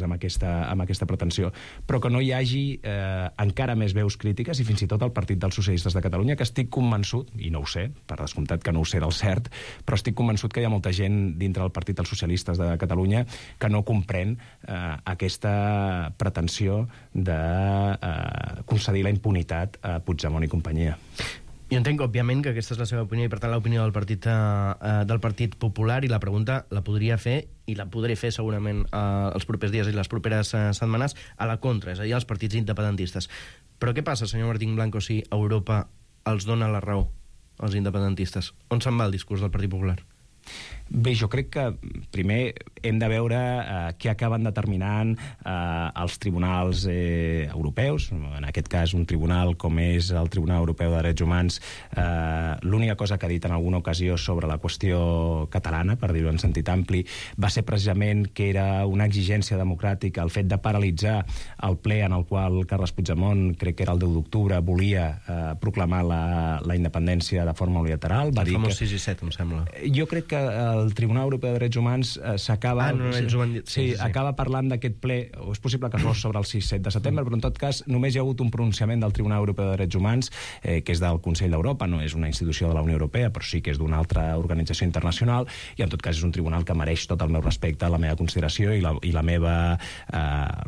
crítiques amb aquesta pretensió, però que no hi hagi encara més veus crítiques, i fins i tot el Partit dels Socialistes de Catalunya, que estic convençut, i no ho sé, per descomptat que no ho sé del cert, però estic convençut que hi ha molta gent dintre del Partit dels Socialistes de Catalunya que no comprèn aquesta pretensió de concedir la impunitat a Puigdemont i companyia. Jo entenc, òbviament, que aquesta és la seva opinió i, per tant, l'opinió del Partit Popular, i la pregunta la podria fer, i la podré fer segurament els propers dies i les properes setmanes, a la contra, és a dir, als partits independentistes. Però què passa, senyor Martín Blanco, si Europa els dona la raó als independentistes? On se'n va el discurs del Partit Popular? Bé, jo crec que primer hem de veure què acaben determinant els tribunals europeus, en aquest cas un tribunal com és el Tribunal Europeu de Drets Humans. L'única cosa que ha dit en alguna ocasió sobre la qüestió catalana, per dir-ho en sentit ampli, va ser precisament que era una exigència democràtica el fet de paralitzar el ple en el qual Carles Puigdemont, crec que era el 10 d'octubre, volia proclamar la independència de forma unilateral. El famós 6 i 7, em sembla. Jo crec que el Tribunal Europeu de Drets Humans s'acaba... ells ho van dir. Sí, acaba parlant d'aquest ple, o és possible que fos sobre el 6-7 de setembre, però en tot cas només hi ha hagut un pronunciament del Tribunal Europeu de Drets Humans, que és del Consell d'Europa, no és una institució de la Unió Europea, però sí que és d'una altra organització internacional, i en tot cas és un tribunal que mereix tot el meu respecte, la meva consideració i la meva,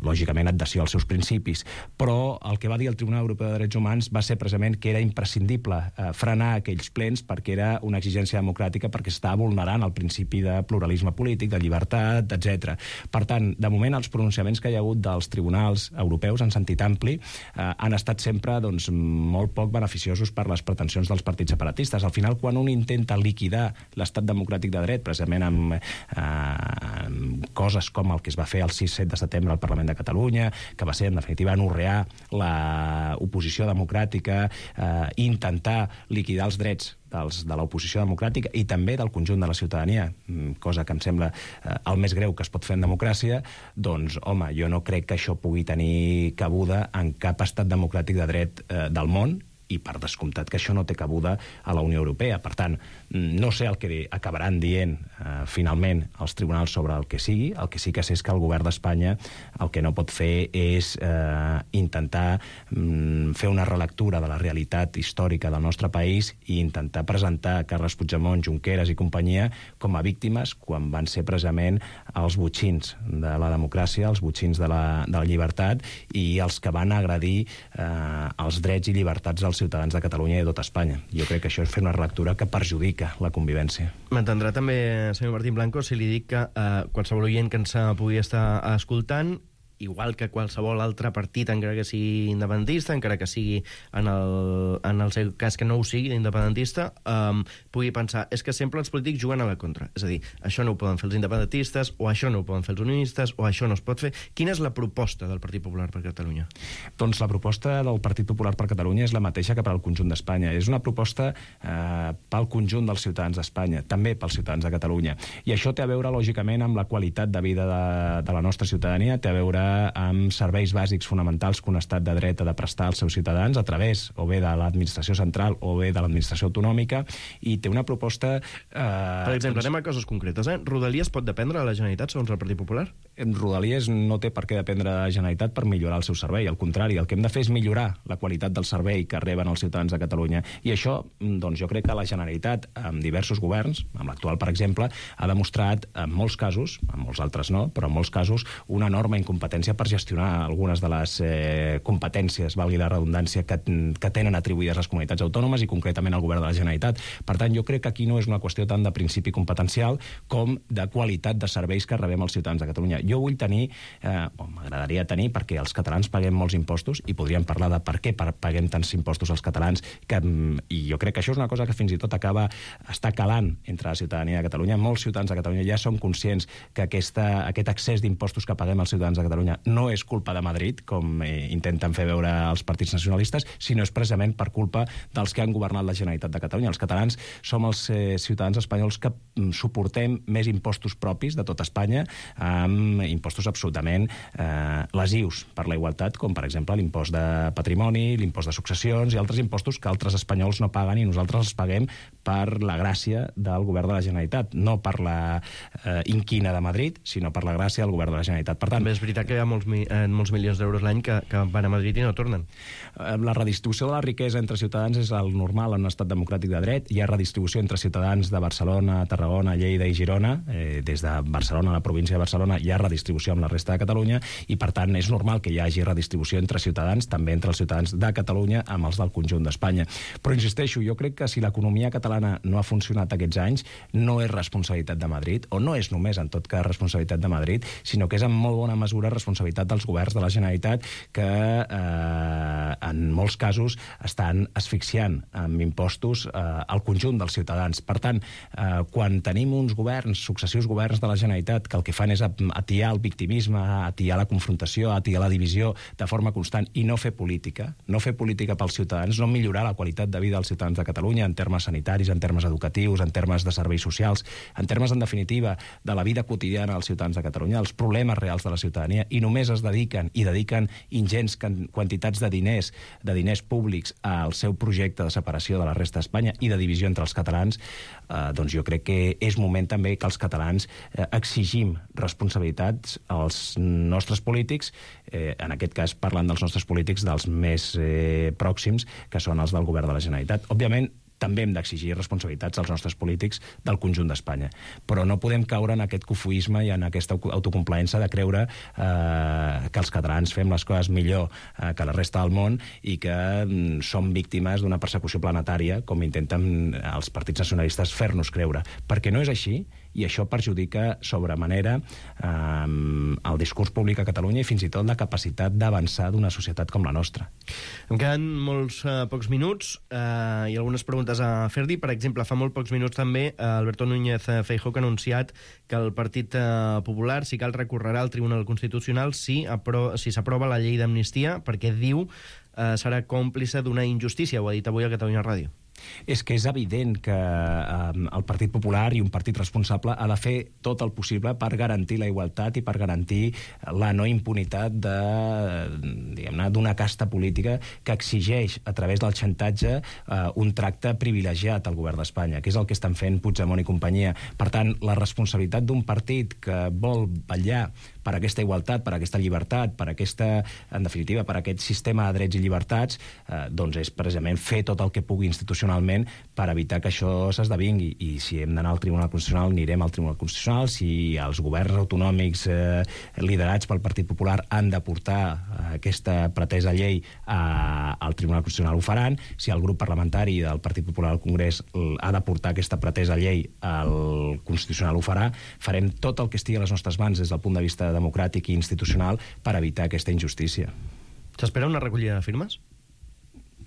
lògicament, adhesió als seus principis. Però el que va dir el Tribunal Europeu de Drets Humans va ser precisament que era imprescindible frenar aquells plens perquè era una exigència democràtica, perquè estava vulnerant el principi de pluralisme polític, de llibertat, etc. Per tant, de moment, els pronunciaments que hi ha hagut dels tribunals europeus en sentit ampli han estat sempre molt poc beneficiosos per les pretensions dels partits separatistes. Al final, quan un intenta liquidar l'estat democràtic de dret, precisament amb coses com el que es va fer el 6-7 de setembre al Parlament de Catalunya, que va ser, en definitiva, anorrear l'oposició democràtica, intentar liquidar els drets de l'oposició democràtica i també del conjunt de la ciutadania, cosa que em sembla el més greu que es pot fer en democràcia, doncs, home, jo no crec que això pugui tenir cabuda en cap estat democràtic de dret del món, i per descomptat que això no té cabuda a la Unió Europea. Per tant, no sé el que acabaran dient finalment els tribunals sobre el que sigui. El que sí que sé és que el govern d'Espanya el que no pot fer és intentar fer una relectura de la realitat històrica del nostre país i intentar presentar Carles Puigdemont, Junqueras i companyia com a víctimes quan van ser precisament els botxins de la democràcia, els botxins de la llibertat i els que van agredir els drets i llibertats dels ciutadans de Catalunya i de tot Espanya. Jo crec que això és fer una relectura que perjudica la convivència. M'entendrà també, senyor Martín Blanco, si li dic que qualsevol oient que ens pugui estar escoltant, igual que qualsevol altre partit, encara que sigui independentista, encara que sigui en el seu cas que no ho sigui d'independentista, pugui pensar, és que sempre els polítics juguen a la contra. És a dir, això no ho poden fer els independentistes, o això no ho poden fer els unionistes, o això no es pot fer. Quina és la proposta del Partit Popular per Catalunya? Doncs la proposta del Partit Popular per Catalunya és la mateixa que per al conjunt d'Espanya. És una proposta pel conjunt dels ciutadans d'Espanya, també pels ciutadans de Catalunya. I això té a veure, lògicament, amb la qualitat de vida de la nostra ciutadania, té a veure amb serveis bàsics fonamentals que un estat de dret ha de prestar als seus ciutadans a través o bé de l'administració central o bé de l'administració autonòmica, i té una proposta... Per exemple, anem a coses concretes. Rodalies pot dependre de la Generalitat, segons el Partit Popular? Rodalies no té per què dependre de la Generalitat per millorar el seu servei. Al contrari, el que hem de fer és millorar la qualitat del servei que reben els ciutadans de Catalunya. I això, doncs, jo crec que la Generalitat, amb diversos governs, amb l'actual, per exemple, ha demostrat, en molts casos, en molts altres no, però en molts casos, una enorme incompetència per gestionar algunes de les competències, valgui la redundància, que tenen atribuïdes les comunitats autònomes i concretament el govern de la Generalitat. Per tant, jo crec que aquí no és una qüestió tant de principi competencial com de qualitat de serveis que rebem els ciutadans de Catalunya. Jo vull tenir, o m'agradaria tenir, perquè els catalans paguem molts impostos, i podríem parlar de per què paguem tants impostos als catalans, i jo crec que això és una cosa que fins i tot està calant entre la ciutadania de Catalunya. Molts ciutadans de Catalunya ja són conscients que aquest excés d'impostos que paguem els ciutadans de Catalunya no és culpa de Madrid, com intenten fer veure els partits nacionalistes, sinó és precisament per culpa dels que han governat la Generalitat de Catalunya. Els catalans som els ciutadans espanyols que suportem més impostos propis de tot Espanya, amb impostos absolutament lesius per la igualtat, com per exemple l'impost de patrimoni, l'impost de successions i altres impostos que altres espanyols no paguen i nosaltres els paguem per la gràcia del govern de la Generalitat, no per la inquina de Madrid, sinó per la gràcia del govern de la Generalitat. Per tant, també és veritat que hi ha molts milions d'euros l'any que van a Madrid i no tornen. La redistribució de la riquesa entre ciutadans és el normal en un estat democràtic de dret. Hi ha redistribució entre ciutadans de Barcelona, Tarragona, Lleida i Girona. Des de Barcelona, la província de Barcelona, hi ha redistribució amb la resta de Catalunya i, per tant, és normal que hi hagi redistribució entre ciutadans, també entre els ciutadans de Catalunya amb els del conjunt d'Espanya. Però, insisteixo, jo crec que si l'economia catalana no ha funcionat aquests anys, no és responsabilitat de Madrid, o no és només, en tot cas, responsabilitat de Madrid, sinó que és en molt bona mesura responsabilitat dels governs de la Generalitat que, en molts casos, estan asfixiant amb impostos al conjunt dels ciutadans. Per tant, quan tenim uns governs, successius governs de la Generalitat, que el que fan és atiar el victimisme, atiar la confrontació, atiar la divisió de forma constant i no fer política pels ciutadans, no millorar la qualitat de vida dels ciutadans de Catalunya en termes sanitaris, en termes educatius, en termes de serveis socials, en termes, en definitiva, de la vida quotidiana dels ciutadans de Catalunya, els problemes reals de la ciutadania, i només es dediquen ingents quantitats de diners públics al seu projecte de separació de la resta d'Espanya i de divisió entre els catalans, doncs jo crec que és moment també que els catalans exigim responsabilitats als nostres polítics, en aquest cas parlant dels nostres polítics dels més pròxims, que són els del govern de la Generalitat. Òbviament, també hem d'exigir responsabilitats als nostres polítics del conjunt d'Espanya. Però no podem caure en aquest cofoisme i en aquesta autocomplaença de creure que els catalans fem les coses millor que la resta del món i que som víctimes d'una persecució planetària, com intenten els partits nacionalistes fer-nos creure. Perquè no és així, i això perjudica sobremanera el discurs públic a Catalunya i fins i tot la capacitat d'avançar d'una societat com la nostra. Em queden molts pocs minuts i algunes preguntes a fer-li. Per exemple, fa molt pocs minuts també Alberto Núñez Feijóo ha anunciat que el Partit Popular, si cal, recorrerà al Tribunal Constitucional si s'aprova la llei d'amnistia, perquè diu serà còmplice d'una injustícia. Ho ha dit avui a Catalunya Ràdio. És que és evident que el Partit Popular i un partit responsable ha de fer tot el possible per garantir la igualtat i per garantir la no impunitat d'una casta política que exigeix, a través del xantatge, un tracte privilegiat al govern d'Espanya, que és el que estan fent Puigdemont i companyia. Per tant, la responsabilitat d'un partit que vol vetllar per aquesta igualtat, per aquesta llibertat, per aquesta, en definitiva, per aquest sistema de drets i llibertats, doncs és precisament fer tot el que pugui institucionalment per evitar que això s'esdevingui. I si hem d'anar al Tribunal Constitucional, anirem al Tribunal Constitucional. Si els governs autonòmics liderats pel Partit Popular han de portar aquesta pretesa llei al Tribunal Constitucional, ho faran. Si el grup parlamentari del Partit Popular al Congrés ha de portar aquesta pretesa llei al Constitucional, ho farà. Farem tot el que estigui a les nostres mans des del punt de vista democràtic i institucional per evitar aquesta injustícia. S'espera una recollida de firmes?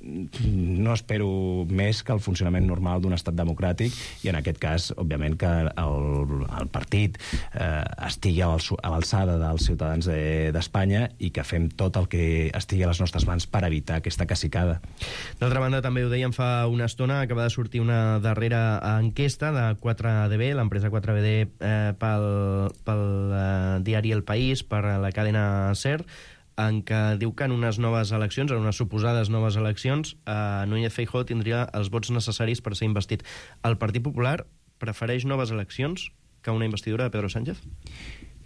No espero més que el funcionament normal d'un estat democràtic i, en aquest cas, òbviament, que el partit estigui a l'alçada dels ciutadans d'Espanya i que fem tot el que estigui a les nostres mans per evitar aquesta cacicada. D'altra banda, també ho dèiem fa una estona, acaba de sortir una darrera enquesta de 4DB, l'empresa 4DB pel diari El País, per la cadena SER, en què diu que en unes noves eleccions, en unes suposades noves eleccions, Núñez Feijóo tindria els vots necessaris per ser investit. El Partit Popular prefereix noves eleccions que una investidura de Pedro Sánchez?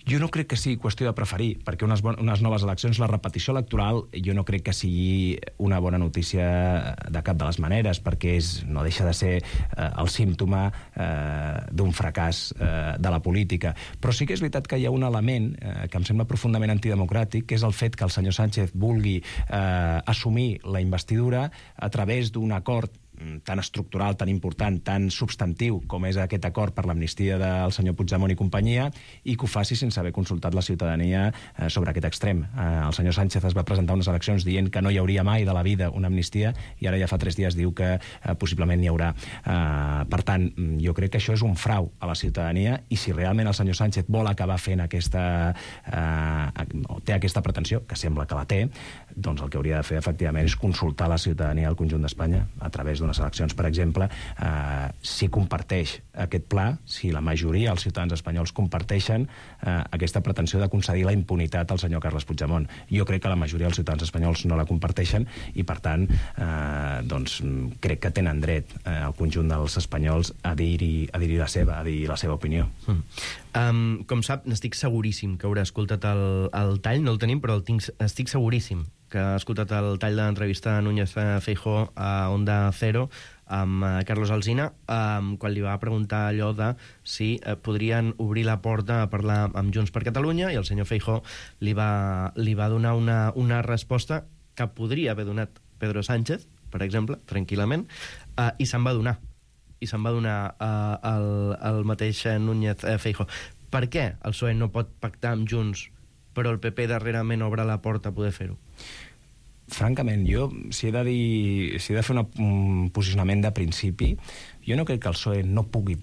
Jo no crec que sigui qüestió de preferir, perquè unes noves eleccions, la repetició electoral, jo no crec que sigui una bona notícia de cap de les maneres, perquè no deixa de ser el símptoma d'un fracàs de la política. Però sí que és veritat que hi ha un element que em sembla profundament antidemocràtic, que és el fet que el senyor Sánchez vulgui assumir la investidura a través d'un acord tan estructural, tan important, tan substantiu com és aquest acord per l'amnistia del senyor Puigdemont i companyia, i que ho faci sense haver consultat la ciutadania sobre aquest extrem. El senyor Sánchez es va presentar unes eleccions dient que no hi hauria mai de la vida una amnistia i ara ja fa 3 dies diu que possiblement n'hi haurà. Per tant, jo crec que això és un frau a la ciutadania, i si realment el senyor Sánchez vol acabar fent aquesta... o té aquesta pretensió, que sembla que la té, doncs el que hauria de fer, efectivament, és consultar la ciutadania del conjunt d'Espanya, a través d'unes eleccions, per exemple, si comparteix aquest pla, si la majoria dels ciutadans espanyols comparteixen aquesta pretensió de concedir la impunitat al senyor Carles Puigdemont. Jo crec que la majoria dels ciutadans espanyols no la comparteixen i, per tant, doncs, crec que tenen dret al conjunt dels espanyols a dir la seva opinió. Com sap, n'estic seguríssim que haurà escoltat el tall, no el tenim, però estic seguríssim que ha escoltat el tall de l'entrevista a Núñez Feijóo a Onda Cero amb Carlos Alsina, quan li va preguntar allò de si podrien obrir la porta a parlar amb Junts per Catalunya, i el senyor Feijóo li va donar una resposta que podria haver donat Pedro Sánchez, per exemple, tranquil·lament, i se'n va donar. I se'n va donar el mateix Núñez Feijóo. Per què el PSOE no pot pactar amb Junts, però el PP darrerament obre la porta a poder fer-ho? Francament, jo, si he de fer un posicionament de principi, jo no crec que el PSOE no pugui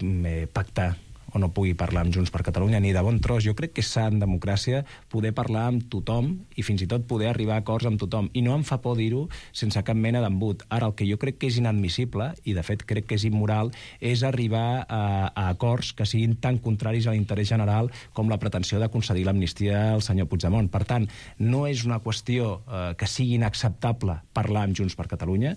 pactar o no pugui parlar amb Junts per Catalunya, ni de bon tros. Jo crec que és sa en democràcia poder parlar amb tothom i fins i tot poder arribar a acords amb tothom. I no em fa por dir-ho sense cap mena d'embut. Ara, el que jo crec que és inadmissible, i de fet crec que és immoral, és arribar a acords que siguin tan contraris a l'interès general com la pretensió de concedir l'amnistia al senyor Puigdemont. Per tant, no és una qüestió que sigui inacceptable parlar amb Junts per Catalunya.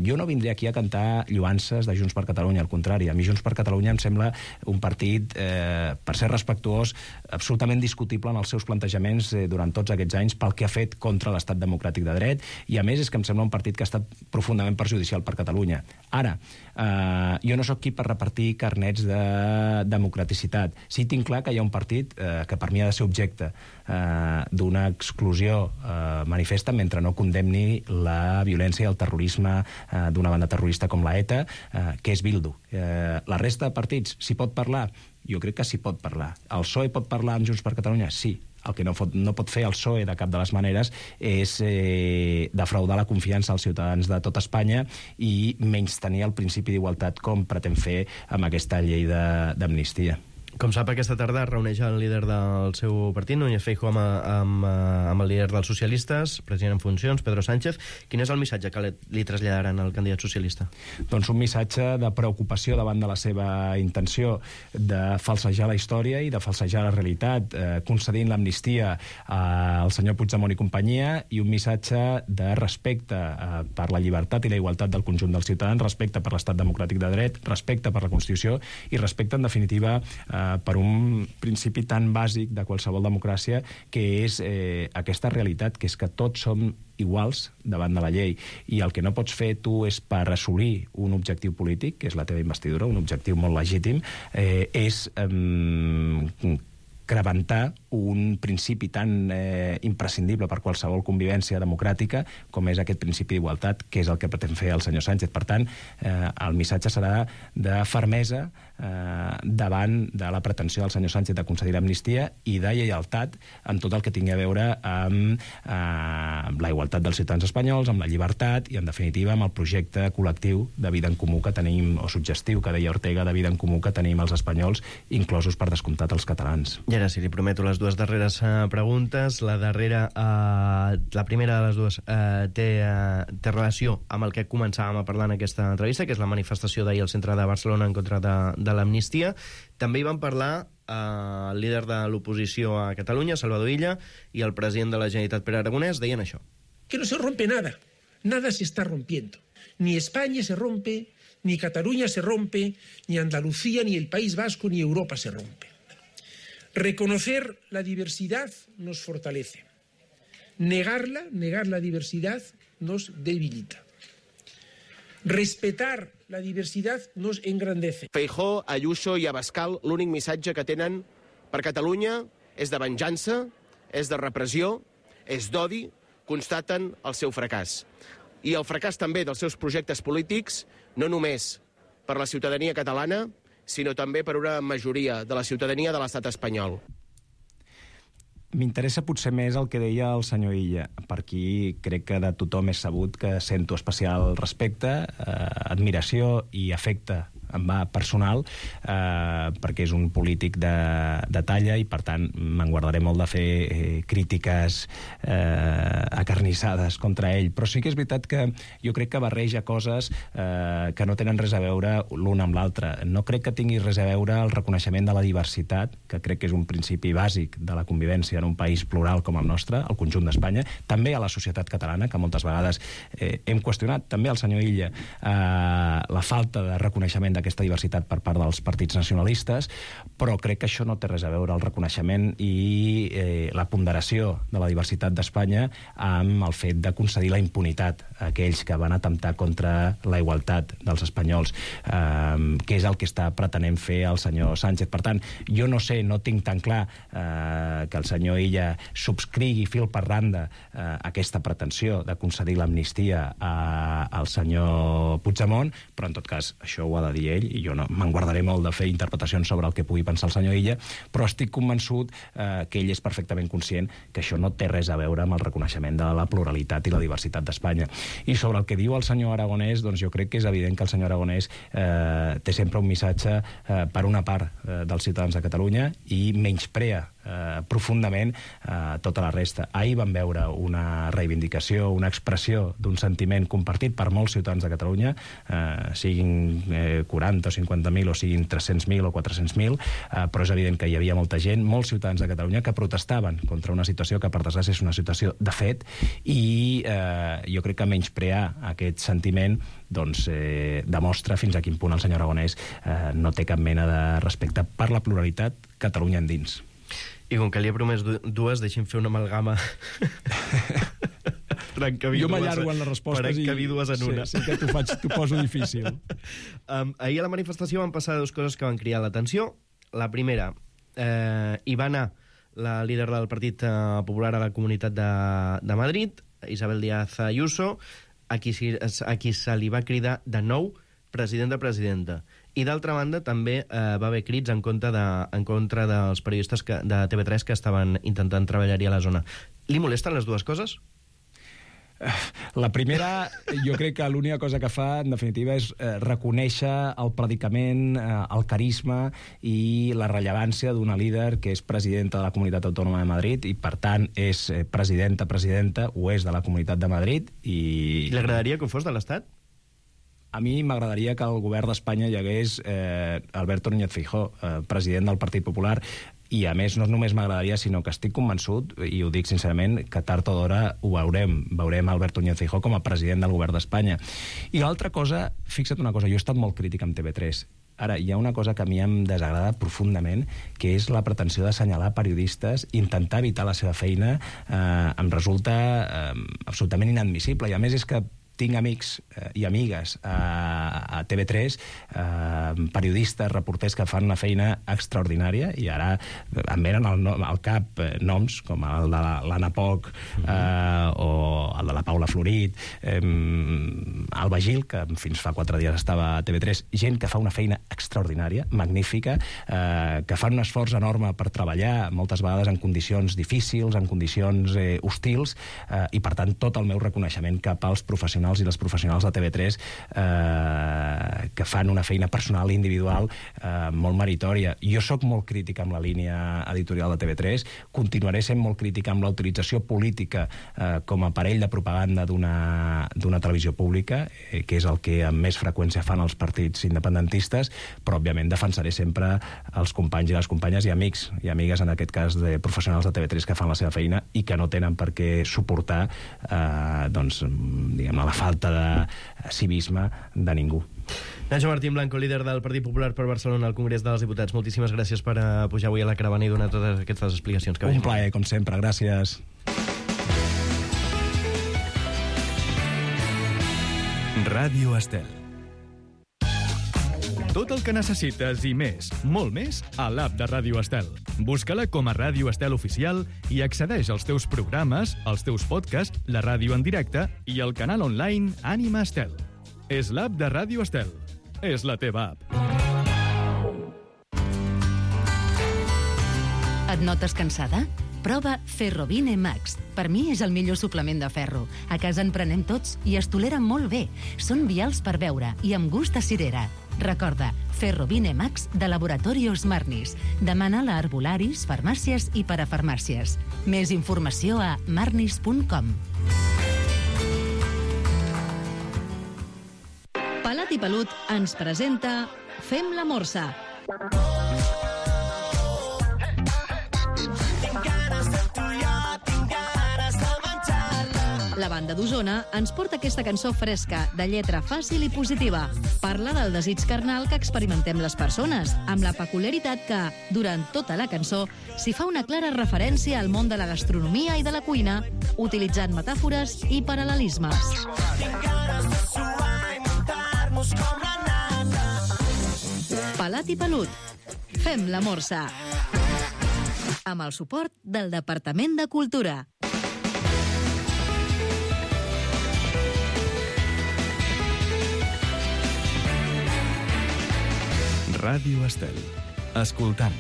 Jo no vindré aquí a cantar lloances de Junts per Catalunya, al contrari. A mi Junts per Catalunya em sembla un partit, per ser respectuós, absolutament discutible en els seus plantejaments durant tots aquests anys pel que ha fet contra l'estat democràtic de dret, i a més és que em sembla un partit que ha estat profundament perjudicial per Catalunya. Ara, jo no sóc qui per repartir carnets de democraticitat. Sí, tinc clar que hi ha un partit que per mi ha de ser objecte d'una exclusió manifesta mentre no condemni la violència i el terrorisme d'una banda terrorista com la ETA, que és Bildu. La resta de partits, s'hi pot parlar? Jo crec que s'hi pot parlar. El PSOE pot parlar amb Junts per Catalunya? Sí. El que no pot fer el PSOE de cap de les maneres és defraudar la confiança als ciutadans de tot Espanya i menystenir el principi d'igualtat com pretén fer amb aquesta llei d'amnistia. Com sap, aquesta tarda es reuneix el líder del seu partit, Núñez Feijóo, amb el líder dels socialistes, president en funcions, Pedro Sánchez. Quin és el missatge que li traslladaran al candidat socialista? Doncs un missatge de preocupació davant de la seva intenció de falsejar la història i de falsejar la realitat, concedint l'amnistia al senyor Puigdemont i companyia, i un missatge de respecte per la llibertat i la igualtat del conjunt dels ciutadans, respecte per l'estat democràtic de dret, respecte per la Constitució i respecte, en definitiva, per un principi tan bàsic de qualsevol democràcia, que és aquesta realitat, que és que tots som iguals davant de la llei, i el que no pots fer tu és, per assolir un objectiu polític, que és la teva investidura, un objectiu molt legítim, és crebantar un principi tan imprescindible per qualsevol convivència democràtica com és aquest principi d'igualtat, que és el que pretén fer el senyor Sánchez. Per tant, el missatge serà de fermesa davant de la pretensió del senyor Sánchez de concedir l'amnistia i de lleialtat en tot el que tingui a veure amb la igualtat dels ciutadans espanyols, amb la llibertat i, en definitiva, amb el projecte col·lectiu de vida en comú que tenim, o suggestiu, que deia Ortega, de vida en comú que tenim els espanyols, inclosos, per descomptat, els catalans. I ara sí, li prometo les dues darreres preguntes. La primera de les dues té relació amb el que començàvem a parlar en aquesta entrevista, que és la manifestació d'ahir al centre de Barcelona en contra de l'amnistia. També hi van parlar el líder de l'oposició a Catalunya, Salvador Illa, i el president de la Generalitat, Pere Aragonès, deien això. Que no se rompe nada. Nada se está rompiendo. Ni España se rompe, ni Cataluña se rompe, ni Andalucía, ni el País Vasco, ni Europa se rompe. Reconocer la diversidad nos fortalece. Negar la diversidad nos debilita. Respetar la diversidad nos engrandece. Feijóo, Ayuso i Abascal, l'únic missatge que tenen per Catalunya és de venjança, és de repressió, és d'odi, constaten el seu fracàs. I el fracàs també dels seus projectes polítics, no només per la ciutadania catalana, sinó també per una majoria de la ciutadania de l'estat espanyol. M'interessa potser més el que deia el senyor Illa. Per aquí crec que de tothom és sabut que sento especial respecte, admiració i afecte em va personal, perquè és un polític de talla i, per tant, me'n guardaré molt de fer crítiques acarnissades contra ell. Però sí que és veritat que jo crec que barreja coses que no tenen res a veure l'un amb l'altre. No crec que tingui res a veure el reconeixement de la diversitat, que crec que és un principi bàsic de la convivència en un país plural com el nostre, el conjunt d'Espanya, també a la societat catalana, que moltes vegades hem qüestionat, també al senyor Illa, la falta de reconeixement d'aquesta diversitat per part dels partits nacionalistes, però crec que això no té res a veure el reconeixement i la ponderació de la diversitat d'Espanya amb el fet de concedir la impunitat a aquells que van atemptar contra la igualtat dels espanyols, que és el que està pretenent fer el senyor Sánchez. Per tant, jo no sé, no tinc tan clar que el senyor Illa subscrigui fil per randa aquesta pretensió de concedir l'amnistia al senyor Puigdemont, però en tot cas això ho ha de dir ell i jo no me'n guardaré molt de fer interpretacions sobre el que pugui pensar el senyor Illa, però estic convençut que ell és perfectament conscient que això no té res a veure amb el reconeixement de la pluralitat i la diversitat d'Espanya. I sobre el que diu el senyor Aragonès, doncs jo crec que és evident que el senyor Aragonès té sempre un missatge per una part dels ciutadans de Catalunya i menysprea profundament tota la resta. Ahir vam veure una reivindicació, una expressió d'un sentiment compartit per molts ciutadans de Catalunya, siguin 40 o 50.000 o siguin 300.000 o 400.000, però és evident que hi havia molta gent, molts ciutadans de Catalunya, que protestaven contra una situació que, per desgràcia, és una situació de fet, i jo crec que menysprear aquest sentiment doncs demostra fins a quin punt el senyor Aragonès no té cap mena de respecte per la pluralitat Catalunya endins. I com que li he promès dues, deixi'm fer una amalgama. Jo m'allargo en les respostes i dues en una. Sí que t'ho poso difícil. Ahir a la manifestació van passar dues coses que van cridar l'atenció. La primera, hi va anar la líder del Partit Popular a la Comunitat de Madrid, Isabel Díaz Ayuso, a qui se li va cridar de nou presidenta. I d'altra banda també va haver crits en contra dels periodistes de TV3 que estaven intentant treballar-hi a la zona. Li molesten les dues coses? La primera, jo crec que l'única cosa que fa, en definitiva, és reconèixer el predicament, el carisma i la rellevància d'una líder que és presidenta de la Comunitat Autònoma de Madrid i, per tant, és presidenta, ho és de la Comunitat de Madrid. I li agradaria que ho fos de l'Estat? A mi m'agradaria que al govern d'Espanya hi hagués Alberto Núñez Feijóo, president del Partit Popular, i a més no només m'agradaria, sinó que estic convençut, i ho dic sincerament, que tard o d'hora ho veurem Alberto Núñez Feijóo com a president del govern d'Espanya. I l'altra cosa, fixa't una cosa, jo he estat molt crític amb TV3. Ara, hi ha una cosa que a mi em desagrada profundament, que és la pretensió d'assenyalar periodistes, intentar evitar la seva feina, em resulta absolutament inadmissible. I a més és que tinc amics i amigues a TV3, periodistes, reporters que fan una feina extraordinària, i ara em venen al cap noms com el de l'Anna Poch o el de la Paula Florit, Alba Gil, que fins fa 4 dies estava a TV3, gent que fa una feina extraordinària, magnífica, que fan un esforç enorme per treballar, moltes vegades en condicions difícils, en condicions hostils, i per tant tot el meu reconeixement cap als professionals i les professionals de TV3 que fan una feina personal i individual molt meritòria. Jo sóc molt crític amb la línia editorial de TV3, continuaré sent molt crític amb la utilització política com a aparell de propaganda d'una televisió pública, que és el que amb més freqüència fan els partits independentistes, però òbviament defensaré sempre els companys i les companyes i amics i amigues, en aquest cas de professionals de TV3 que fan la seva feina i que no tenen per què suportar diguem-ne, la falta de civisme de ningú. Nacho Martín Blanco, líder del Partit Popular per Barcelona al Congrés dels Diputats. Moltíssimes gràcies per pujar avui a la caravana i donar totes aquestes explicacions. Un plaer, com sempre. Gràcies. Ràdio Estel. Tot el que necessites i més, molt més, a l'app de Ràdio Estel. Busca-la com a Ràdio Estel Oficial i accedeix als teus programes, als teus podcasts, la ràdio en directe i el canal online Ànima Estel. És l'app de Ràdio Estel. És la teva app. Et notes cansada? Prova Ferrovine Max. Per mi és el millor suplement de ferro. A casa en prenem tots i es tolera molt bé. Són vials per beure i amb gust a cirera. Recorda, Ferrovine Max de Laboratorios Marnis. Demana-la a herbolaris, farmàcies i parafarmàcies. Més informació a marnis.com. Pelat i Pelut ens presenta Fem la Morsa. La banda d'Osona ens porta aquesta cançó fresca, de lletra fàcil i positiva. Parla del desig carnal que experimentem les persones, amb la peculiaritat que, durant tota la cançó, s'hi fa una clara referència al món de la gastronomia i de la cuina, utilitzant metàfores i paral·lelismes. Pelat i Pelut. Fem la Morsa. Amb el suport del Departament de Cultura. Ràdio Estel. Escoltant,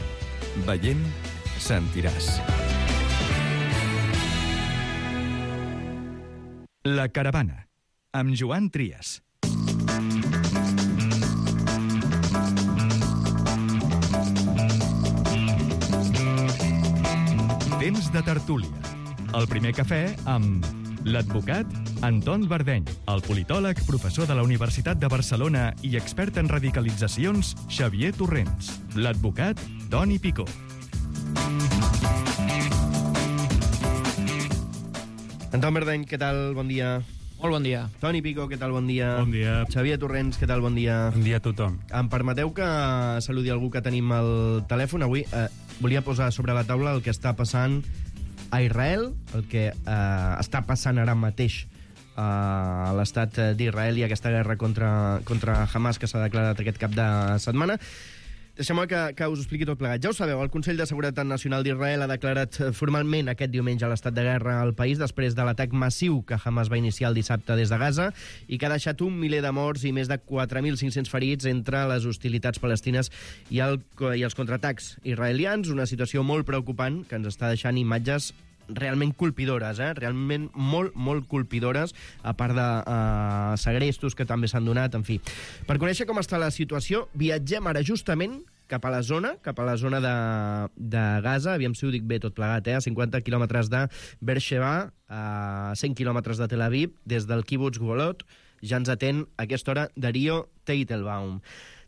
veient, sentiràs. La Caravana, amb Joan Trias. Temps de tertúlia. El primer cafè amb l'advocat Anton Bardeny, el politòleg, professor de la Universitat de Barcelona i expert en radicalitzacions, Xavier Torrents, l'advocat Toni Picó. Anton Bardeny, què tal? Bon dia. Molt bon dia. Toni Picó, què tal? Bon dia. Bon dia. Xavier Torrents, què tal? Bon dia. Bon dia a tothom. Em permeteu que saludi algú que tenim al telèfon? Avui volia posar sobre la taula el que està passant a Israel, el que està passant ara mateix a l'estat d'Israel i aquesta guerra contra Hamas que s'ha declarat aquest cap de setmana. Deixeu-me que us expliqui tot plegat. Ja ho sabeu, el Consell de Seguretat Nacional d'Israel ha declarat formalment aquest diumenge l'estat de guerra al país després de l'atac massiu que Hamas va iniciar el dissabte des de Gaza i que ha deixat 1 miler de morts i més de 4.500 ferits entre les hostilitats palestines i els contraatacs israelians. Una situació molt preocupant que ens està deixant imatges realment colpidores, realment molt colpidores, a part de segrestos que també s'han donat, en fi. Per conèixer com està la situació, viatgem ara justament cap a la zona de Gaza, aviam si ho dic bé tot plegat, a 50 quilòmetres de Beersheba, a 100 quilòmetres de Tel Aviv, des del kibbutz Golot, ja ens atén a aquesta hora Darío Teitelbaum.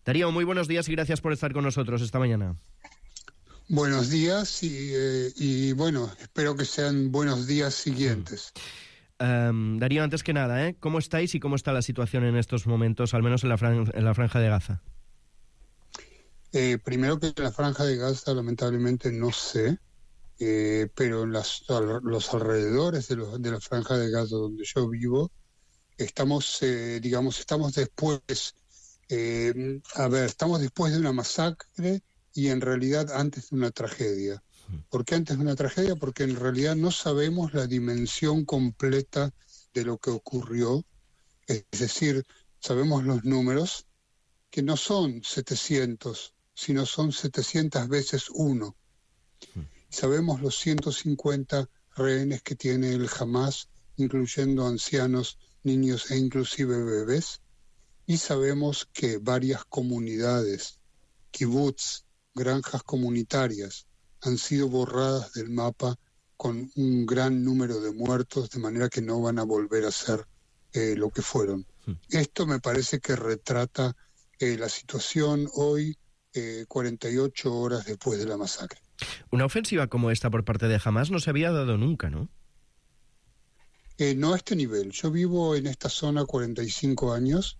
Darío, muy buenos días y gracias por estar con nosotros esta mañana. Buenos días y bueno, espero que sean buenos días siguientes. Darío, antes que nada, ¿cómo estáis y cómo está la situación en estos momentos, al menos en la Franja de Gaza? Primero que en la Franja de Gaza, lamentablemente, no sé, pero en los alrededores de la Franja de Gaza donde yo vivo, estamos después, estamos después de una masacre y en realidad antes de una tragedia. ¿Por qué antes de una tragedia? Porque en realidad no sabemos la dimensión completa de lo que ocurrió. Es decir, sabemos los números, que no son 700, sino son 700 veces 1. Sabemos los 150 rehenes que tiene el Hamas, incluyendo ancianos, niños e inclusive bebés. Y sabemos que varias comunidades, kibbutz, granjas comunitarias, han sido borradas del mapa con un gran número de muertos, de manera que no van a volver a ser lo que fueron. Esto me parece que retrata la situación hoy, 48 horas después de la masacre. Una ofensiva como esta por parte de Hamas no se había dado nunca, ¿no? No a este nivel. Yo vivo en esta zona 45 años.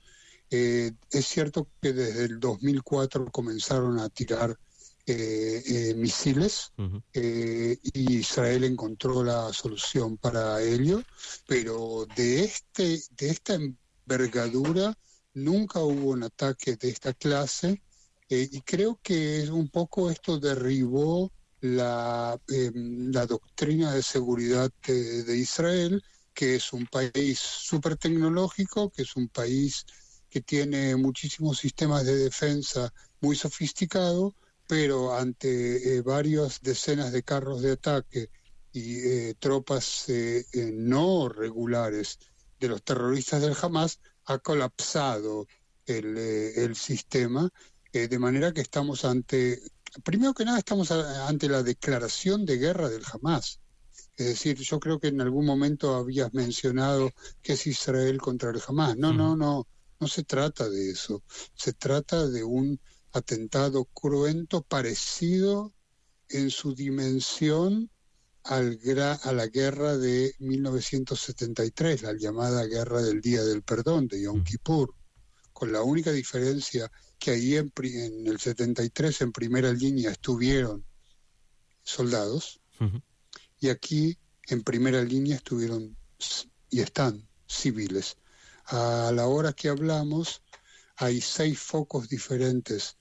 Es cierto que desde el 2004 comenzaron a tirar misiles y Israel encontró la solución para ello, pero de esta envergadura nunca hubo un ataque de esta clase y creo que un poco esto derribó la doctrina de seguridad de Israel, que es un país súper tecnológico, que es un país que tiene muchísimos sistemas de defensa muy sofisticados, pero ante varias decenas de carros de ataque y tropas no regulares de los terroristas del Hamas, ha colapsado el sistema, de manera que estamos primero que nada estamos ante la declaración de guerra del Hamás. Es decir, yo creo que en algún momento habías mencionado que es Israel contra el Hamás. No se trata de eso. Se trata de un atentado cruento parecido en su dimensión a la guerra de 1973, la llamada Guerra del Día del Perdón, de Yom Kippur, con la única diferencia que ahí en el 73 en primera línea estuvieron soldados, y aquí en primera línea estuvieron y están civiles. A la hora que hablamos hay 6 focos diferentes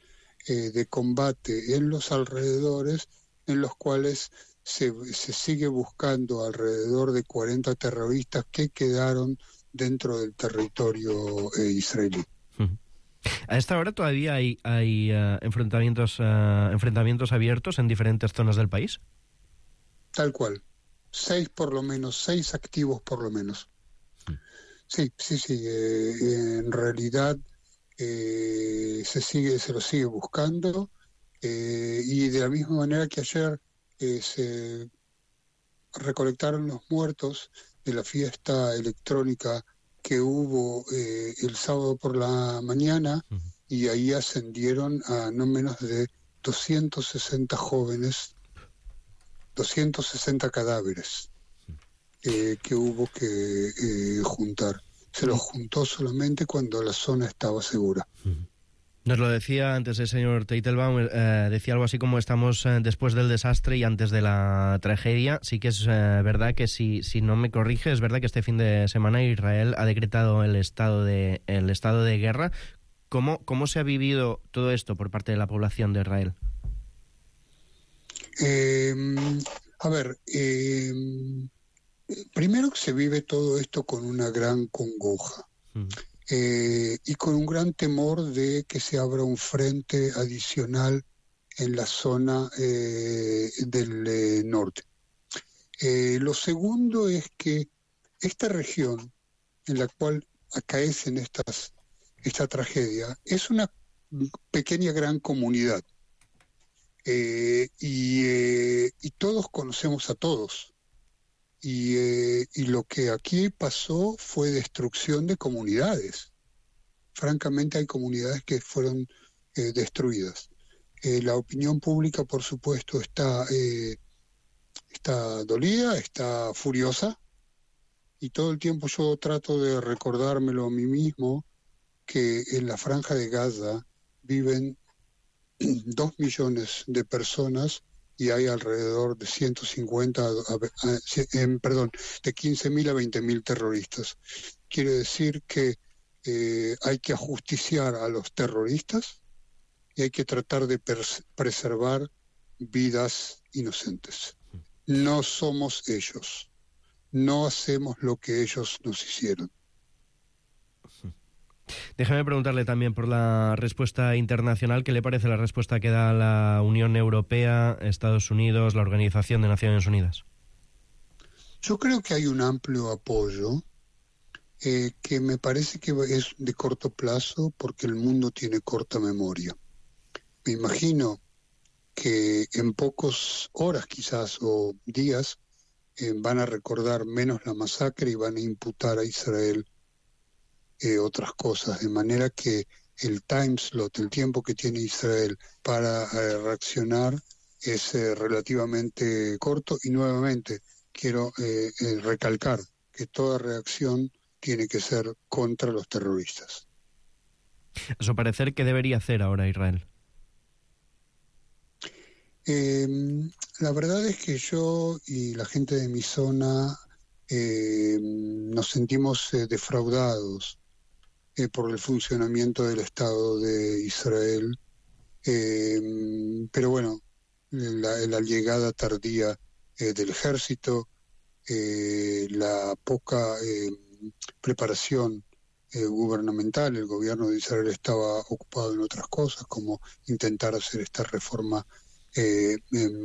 de combate en los alrededores, en los cuales se sigue buscando alrededor de 40 terroristas que quedaron dentro del territorio israelí. A esta hora todavía hay enfrentamientos abiertos en diferentes zonas del país. Tal cual. 6 por lo menos, 6 activos por lo menos. Sí. En realidad se lo sigue buscando, y de la misma manera que ayer se recolectaron los muertos de la fiesta electrónica que hubo el sábado por la mañana, y ahí ascendieron a no menos de 260 jóvenes, 260 cadáveres que hubo que juntar. Se los juntó solamente cuando la zona estaba segura. Nos lo decía antes el señor Teitelbaum, decía algo así como estamos después del desastre y antes de la tragedia. Sí que es verdad que, si no me corrige, es verdad que este fin de semana Israel ha decretado el estado de guerra. ¿Cómo se ha vivido todo esto por parte de la población de Israel? Primero que se vive todo esto con una gran congoja. Y con un gran temor de que se abra un frente adicional en la zona del norte. Lo segundo es que esta región en la cual acaecen esta tragedia es una pequeña gran comunidad, y todos conocemos a todos. Y lo que aquí pasó fue destrucción de comunidades. Francamente, hay comunidades que fueron destruidas. La opinión pública, por supuesto, está dolida, está furiosa, y todo el tiempo yo trato de recordármelo a mí mismo, que en la Franja de Gaza viven 2 millones de personas, y hay alrededor de 15.000 a 20.000 terroristas. Quiere decir que hay que ajusticiar a los terroristas y hay que tratar de preservar vidas inocentes. No somos ellos. No hacemos lo que ellos nos hicieron. Déjame preguntarle también por la respuesta internacional. ¿Qué le parece la respuesta que da la Unión Europea, Estados Unidos, la Organización de Naciones Unidas? Yo creo que hay un amplio apoyo, que me parece que es de corto plazo, porque el mundo tiene corta memoria. Me imagino que en pocas horas quizás o días van a recordar menos la masacre y van a imputar a Israel otras cosas, de manera que el time slot, el tiempo que tiene Israel para reaccionar es relativamente corto, y nuevamente quiero recalcar que toda reacción tiene que ser contra los terroristas. A su parecer, ¿qué debería hacer ahora Israel? La verdad es que yo y la gente de mi zona nos sentimos defraudados por el funcionamiento del Estado de Israel, pero bueno, la llegada tardía del ejército, la poca preparación gubernamental. El gobierno de Israel estaba ocupado en otras cosas, como intentar hacer esta reforma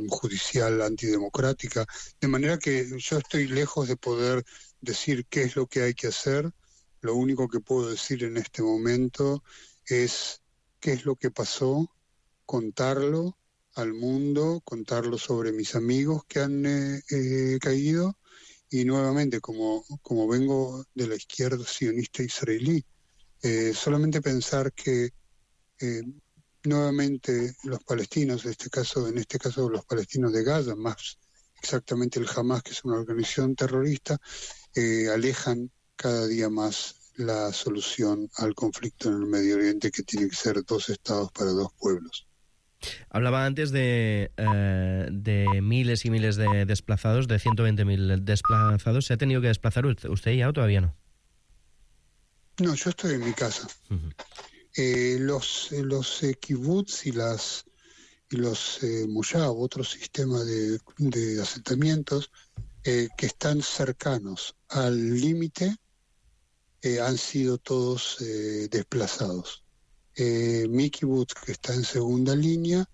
judicial antidemocrática, de manera que yo estoy lejos de poder decir qué es lo que hay que hacer. Lo único que puedo decir en este momento es qué es lo que pasó, contarlo al mundo, contarlo sobre mis amigos que han caído, y nuevamente, como vengo de la izquierda sionista israelí, solamente pensar que nuevamente los palestinos, en este caso los palestinos de Gaza, más exactamente el Hamas, que es una organización terrorista, alejan cada día más la solución al conflicto en el Medio Oriente, que tiene que ser 2 estados para 2 pueblos. Hablaba antes de miles y miles de desplazados, de 120.000 desplazados. ¿Se ha tenido que desplazar usted ya o todavía no? No, yo estoy en mi casa. Los kibbutz y los moshav, otro sistema de asentamientos que están cercanos al límite, han sido todos desplazados. Mi kibbutz, que está en segunda línea,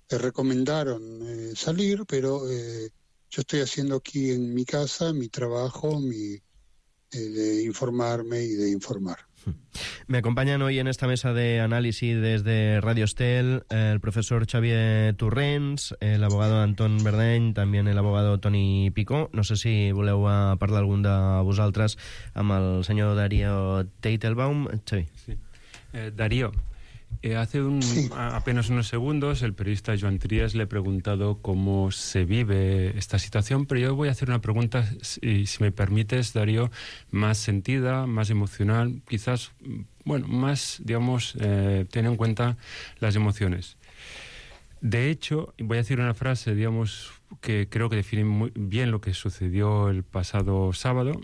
recomendaron salir, pero yo estoy haciendo aquí en mi casa mi trabajo, de informarme y de informar. Me acompañan hoy en esta mesa de análisis desde Radio Estel el profesor Xavier Torrents, el abogado Anton Verdeny, també el abogado Toni Picó. No sé si voleu parlar algun de vosaltres amb el senyor Darío Teitelbaum. Xavi. Sí. Darío, hace apenas unos segundos el periodista Joan Tries le he preguntado cómo se vive esta situación, pero yo voy a hacer una pregunta, si me permites, Darío, más sentida, más emocional, quizás, bueno, más, digamos, ten en cuenta las emociones. De hecho, voy a decir una frase, digamos, que creo que define muy bien lo que sucedió el pasado sábado.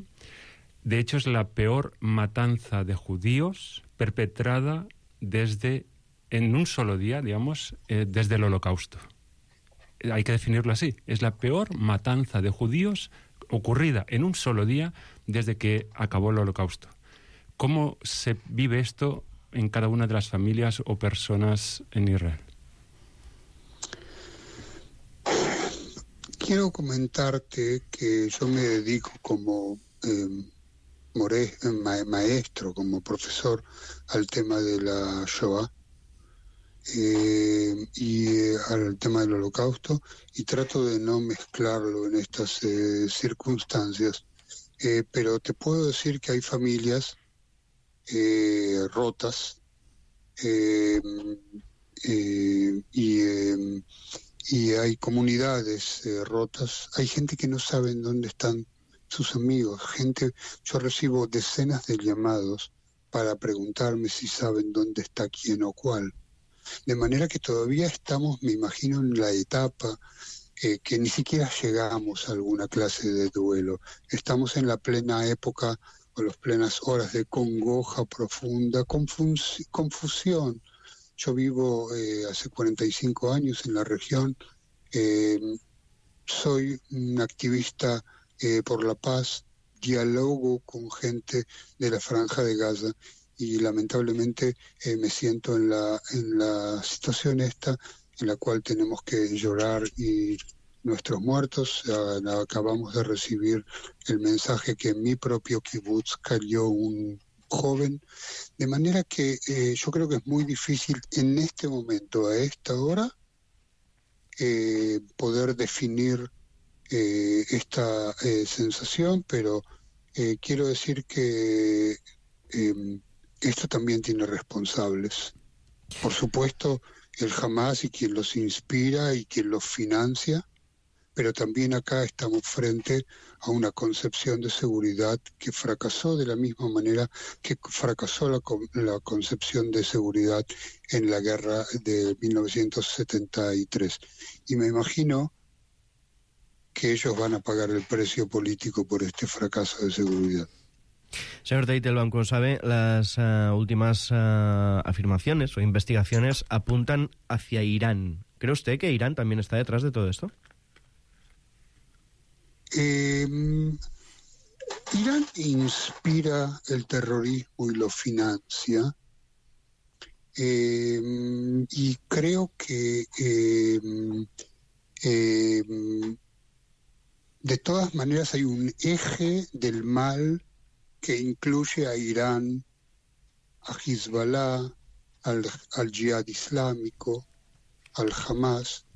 De hecho, es la peor matanza de judíos perpetrada en un solo día, digamos, desde el Holocausto. Hay que definirlo así. Es la peor matanza de judíos ocurrida en un solo día desde que acabó el Holocausto. ¿Cómo se vive esto en cada una de las familias o personas en Israel? Quiero comentarte que yo me dedico como maestro, como profesor, al tema de la Shoah y al tema del Holocausto, y trato de no mezclarlo en estas circunstancias. Pero te puedo decir que hay familias rotas y hay comunidades rotas. Hay gente que no sabe dónde están sus amigos. Yo recibo decenas de llamados para preguntarme si saben dónde está quién o cuál. De manera que todavía estamos, me imagino, en la etapa que ni siquiera llegamos a alguna clase de duelo. Estamos en la plena época o las plenas horas de congoja profunda, confusión. Yo vivo hace 45 años en la región. Soy un activista por la paz, dialogo con gente de la Franja de Gaza, y lamentablemente me siento en la situación esta en la cual tenemos que llorar y nuestros muertos. Acabamos de recibir el mensaje que en mi propio kibutz cayó un joven, de manera que yo creo que es muy difícil en este momento, a esta hora, poder definir esta sensación, pero quiero decir que esto también tiene responsables. Por supuesto, el Hamas y quien los inspira y quien los financia, pero también acá estamos frente a una concepción de seguridad que fracasó de la misma manera que fracasó la concepción de seguridad en la guerra de 1973. Y me imagino que ellos van a pagar el precio político por este fracaso de seguridad. Señor Teitelbaum, como sabe, las últimas afirmaciones o investigaciones apuntan hacia Irán. ¿Cree usted que Irán también está detrás de todo esto? Irán inspira el terrorismo y lo financia, y creo que de todas maneras hay un eje del mal que incluye a Irán, a Hezbollah, al Jihad Islámico, al Hamas.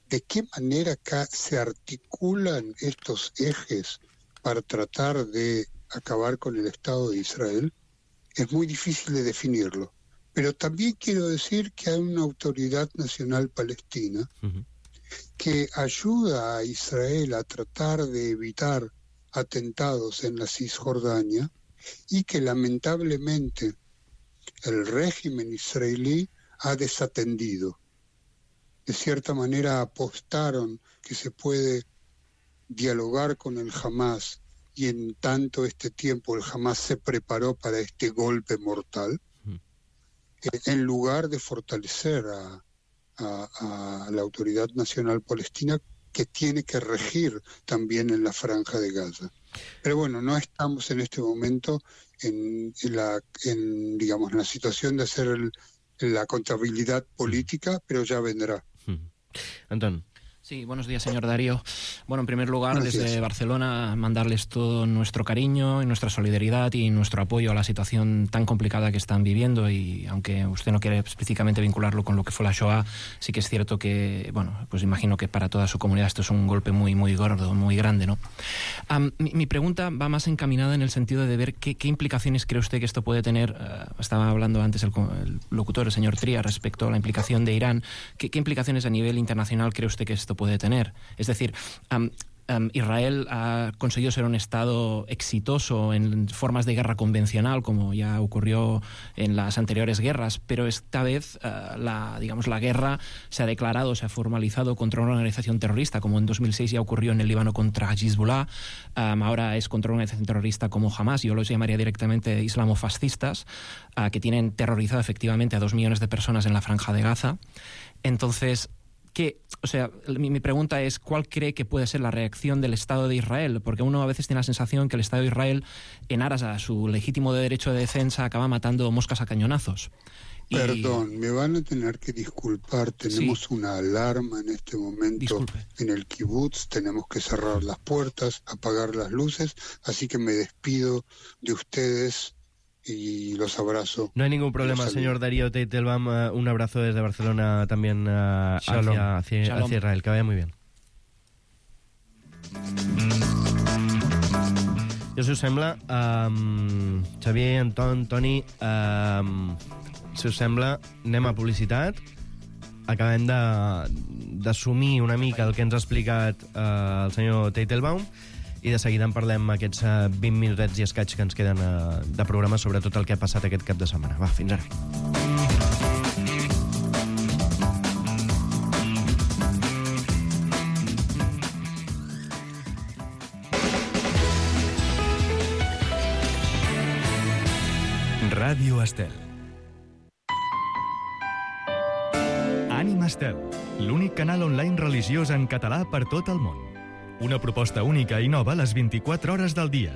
¿De qué manera se articulan estos ejes para tratar de acabar con el Estado de Israel? Es muy difícil de definirlo. Pero también quiero decir que hay una autoridad nacional palestina que ayuda a Israel a tratar de evitar atentados en la Cisjordania y que lamentablemente el régimen israelí ha desatendido. De cierta manera apostaron que se puede dialogar con el Hamas y en tanto este tiempo el Hamas se preparó para este golpe mortal, en lugar de fortalecer a la Autoridad Nacional Palestina, que tiene que regir también en la Franja de Gaza. Pero bueno, no estamos en este momento en la situación de hacer la contabilidad política, pero ya vendrá. Antón. Sí, buenos días, señor Darío. Bueno, en primer lugar, desde Barcelona, mandarles todo nuestro cariño y nuestra solidaridad y nuestro apoyo a la situación tan complicada que están viviendo, y aunque usted no quiere específicamente vincularlo con lo que fue la Shoah, sí que es cierto que, bueno, pues imagino que para toda su comunidad esto es un golpe muy, muy gordo, muy grande, ¿no? Mi pregunta va más encaminada en el sentido de ver qué implicaciones cree usted que esto puede tener. Estaba hablando antes el locutor, el señor Tria, respecto a la implicación de Irán. ¿Qué implicaciones a nivel internacional cree usted que esto puede tener? Es decir, Israel ha conseguido ser un Estado exitoso en formas de guerra convencional, como ya ocurrió en las anteriores guerras, pero esta vez la guerra se ha declarado, se ha formalizado contra una organización terrorista, como en 2006 ya ocurrió en el Líbano contra Hezbollah. Ahora es contra una organización terrorista como Hamas. Yo los llamaría directamente islamofascistas, que tienen terrorizado efectivamente a 2 millones de personas en la Franja de Gaza. Entonces, mi pregunta es, ¿cuál cree que puede ser la reacción del Estado de Israel? Porque uno a veces tiene la sensación que el Estado de Israel, en aras a su legítimo derecho de defensa, acaba matando moscas a cañonazos. Perdón, me van a tener que disculpar, tenemos una alarma en este momento en el kibutz, tenemos que cerrar las puertas, apagar las luces, así que me despido de ustedes y los abrazo. No hay ningún problema, señor Darío Teitelbaum. Un abrazo desde Barcelona también hacia Israel. Que vaya muy bien. Jo, si us sembla, Xavier, Anton, Toni, si us sembla, anem a publicitat. Acabem d'assumir una mica el que ens ha explicat el senyor Teitelbaum, i de seguida en parlem aquests 20 minutets i escaig que ens queden de programa sobre tot el que ha passat aquest cap de setmana. Va, fins ara. Ràdio Estel. Ànima Estel, l'únic canal online religiós en català per tot el món. Una proposta única i nova les 24 hores del dia.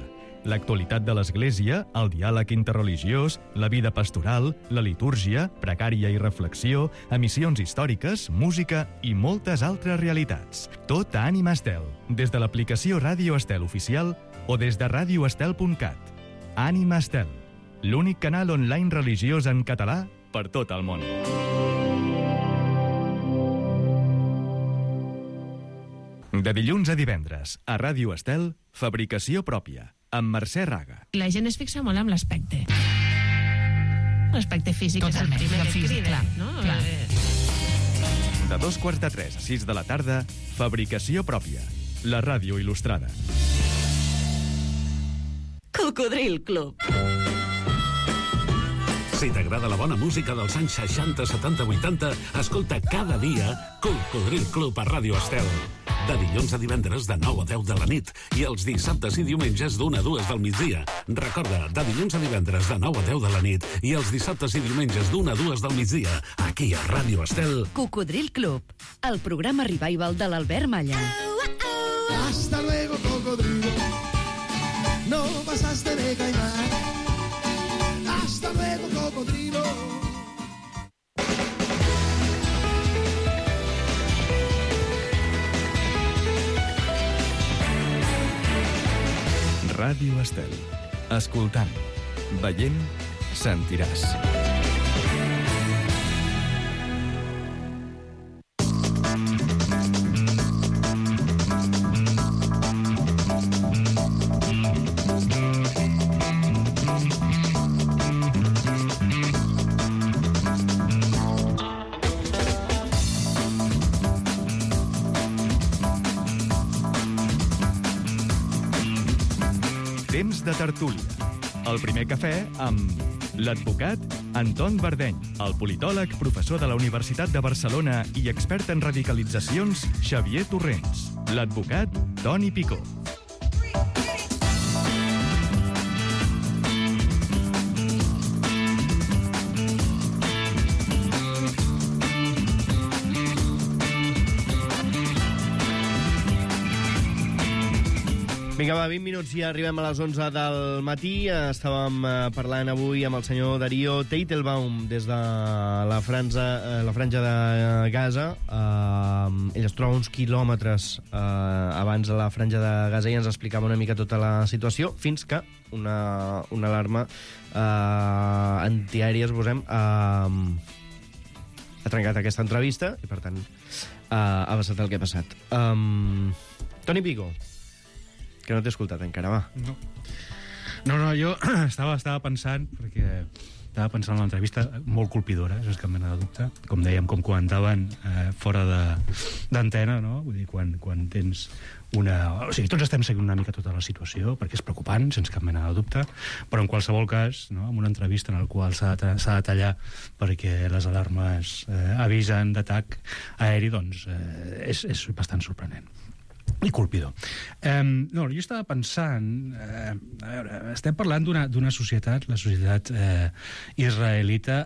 L'actualitat de l'Església, el diàleg interreligiós, la vida pastoral, la litúrgia, precària i reflexió, emissions històriques, música i moltes altres realitats. Tot a Ànima Estel, des de l'aplicació Ràdio Estel oficial o des de radioestel.cat. Ànima Estel, l'únic canal online religiós en català per tot el món. De dilluns a divendres, a Ràdio Estel, Fabricació pròpia, amb Mercè Raga. La gent es fixa molt en l'aspecte. L'aspecte físic. Totalment, és el primer que crida, no? Clar. De 2:45 a 6 de la tarda, Fabricació pròpia, la ràdio il·lustrada. Cocodril Club. Si t'agrada la bona música dels anys 60, 70, 80, escolta cada dia Cocodril Club a Ràdio Estel. De dilluns a divendres de 9 a 10 de la nit i els dissabtes i diumenges d'1 a 2 del migdia. Recorda, de dilluns a divendres de 9 a 10 de la nit i els dissabtes i diumenges d'1 a 2 del migdia, aquí a Ràdio Estel. Cocodril Club, el programa revival de l'Albert Malla. Hasta luego, cocodrilo. No pasaste de caimán. Hasta luego, cocodrilo. Ràdio Estel. Escoltant, veient, sentiràs. temps de tertúlia. El primer cafè amb l'advocat Anton Verdeny, el politòleg, professor de la Universitat de Barcelona i expert en radicalitzacions, Xavier Torrents, l'advocat Toni Picó. Vinga, va, 20 minuts i arribem a les 11 del matí. Estàvem parlant avui amb el senyor Darío Teitelbaum des de la franja de Gaza. Ell es troba uns quilòmetres abans de la franja de Gaza i ens explicava una mica tota la situació, fins que una alarma antiaèria, posem, ha trencat aquesta entrevista i, per tant, ha passat el que ha passat. Toni Picó, que no t'he escoltat encara, va. No, jo estava pensant, perquè estava pensant en l'entrevista molt colpidora, sense cap mena de dubte, com dèiem, com comentaven fora d'antena, no? Vull dir, quan tens una... O sigui, tots estem seguint una mica tota la situació, perquè és preocupant, sense cap mena de dubte, però en qualsevol cas, no? En una entrevista en la qual s'ha de tallar perquè les alarmes avisen d'atac aeri, doncs és bastant sorprenent i colpidor. Jo estava pensant, a veure, estem parlant d'una societat, la societat israelita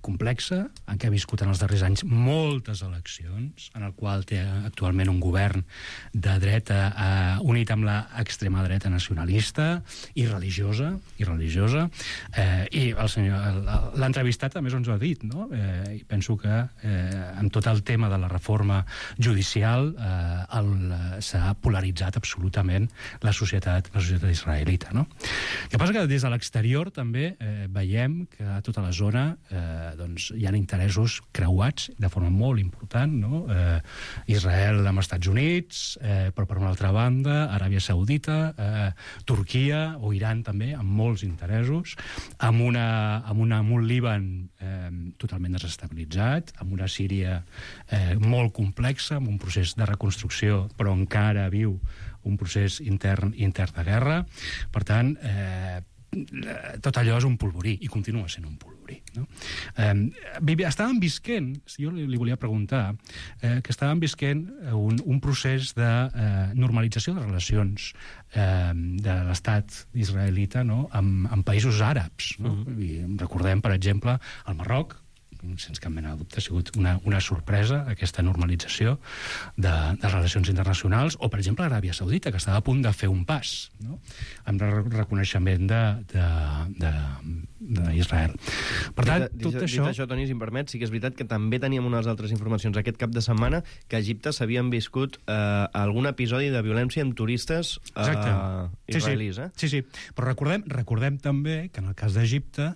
complexa, en què ha viscut en els darrers anys moltes eleccions, en el qual té actualment un govern de dreta unit amb l'extrema dreta nacionalista i religiosa, i l'entrevistat també ens ho ha dit, no? I penso que amb tot el tema de la reforma judicial s'ha polaritzat absolutament la societat israelita, no? El que passa que des de l'exterior també veiem que a tota la zona doncs, hi ha interessos creuats de forma molt important, no? Israel amb Estats Units, però per una altra banda Aràbia Saudita, Turquia o Iran també, amb molts interessos, amb un Líban totalment desestabilitzat, amb una Síria molt complexa, amb un procés de reconstrucció, però encara viu un procés intern de guerra. Per tant, tot allò és un polvorí, i continua sent un polvorí, no? Estàvem visquent, jo li volia preguntar, que estàvem visquent un procés de normalització de relacions de l'estat israelita, no? amb països àrabs, no? I recordem, per exemple, el Marroc, sense cap mena de dubte, ha sigut una sorpresa, aquesta normalització de relacions internacionals, o, per exemple, Aràbia Saudita, que estava a punt de fer un pas, no? Amb reconeixement d'Israel. Per tant, tot això... Dit això, Toni, si em permet, sí que és veritat que també teníem unes altres informacions aquest cap de setmana que a Egipte s'havien viscut algun episodi de violència amb turistes israelis. Sí. Però recordem també que en el cas d'Egipte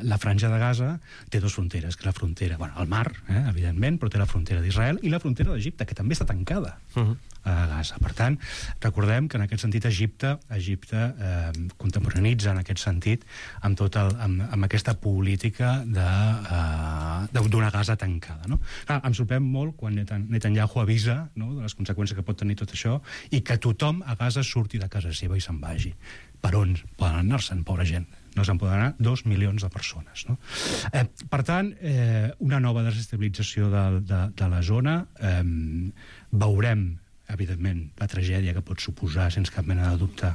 la franja de Gaza té dues fronteres, que és la frontera, el mar, evidentment, però té la frontera d'Israel i la frontera d'Egipte, que també està tancada a Gaza. Per tant, recordem que en aquest sentit Egipte contemporanitza en aquest sentit amb aquesta política d'una Gaza tancada, no? Em sorprèn molt quan Netanyahu avisa, no?, de les conseqüències que pot tenir tot això i que tothom a Gaza surti de casa seva i se'n vagi. Per on poden anar-se'n, pobra gent? No se'n poden anar 2 milions de persones, no? Per tant, una nova desestabilització de la zona. Veurem, evidentment, la tragèdia que pot suposar, sense cap mena de dubte,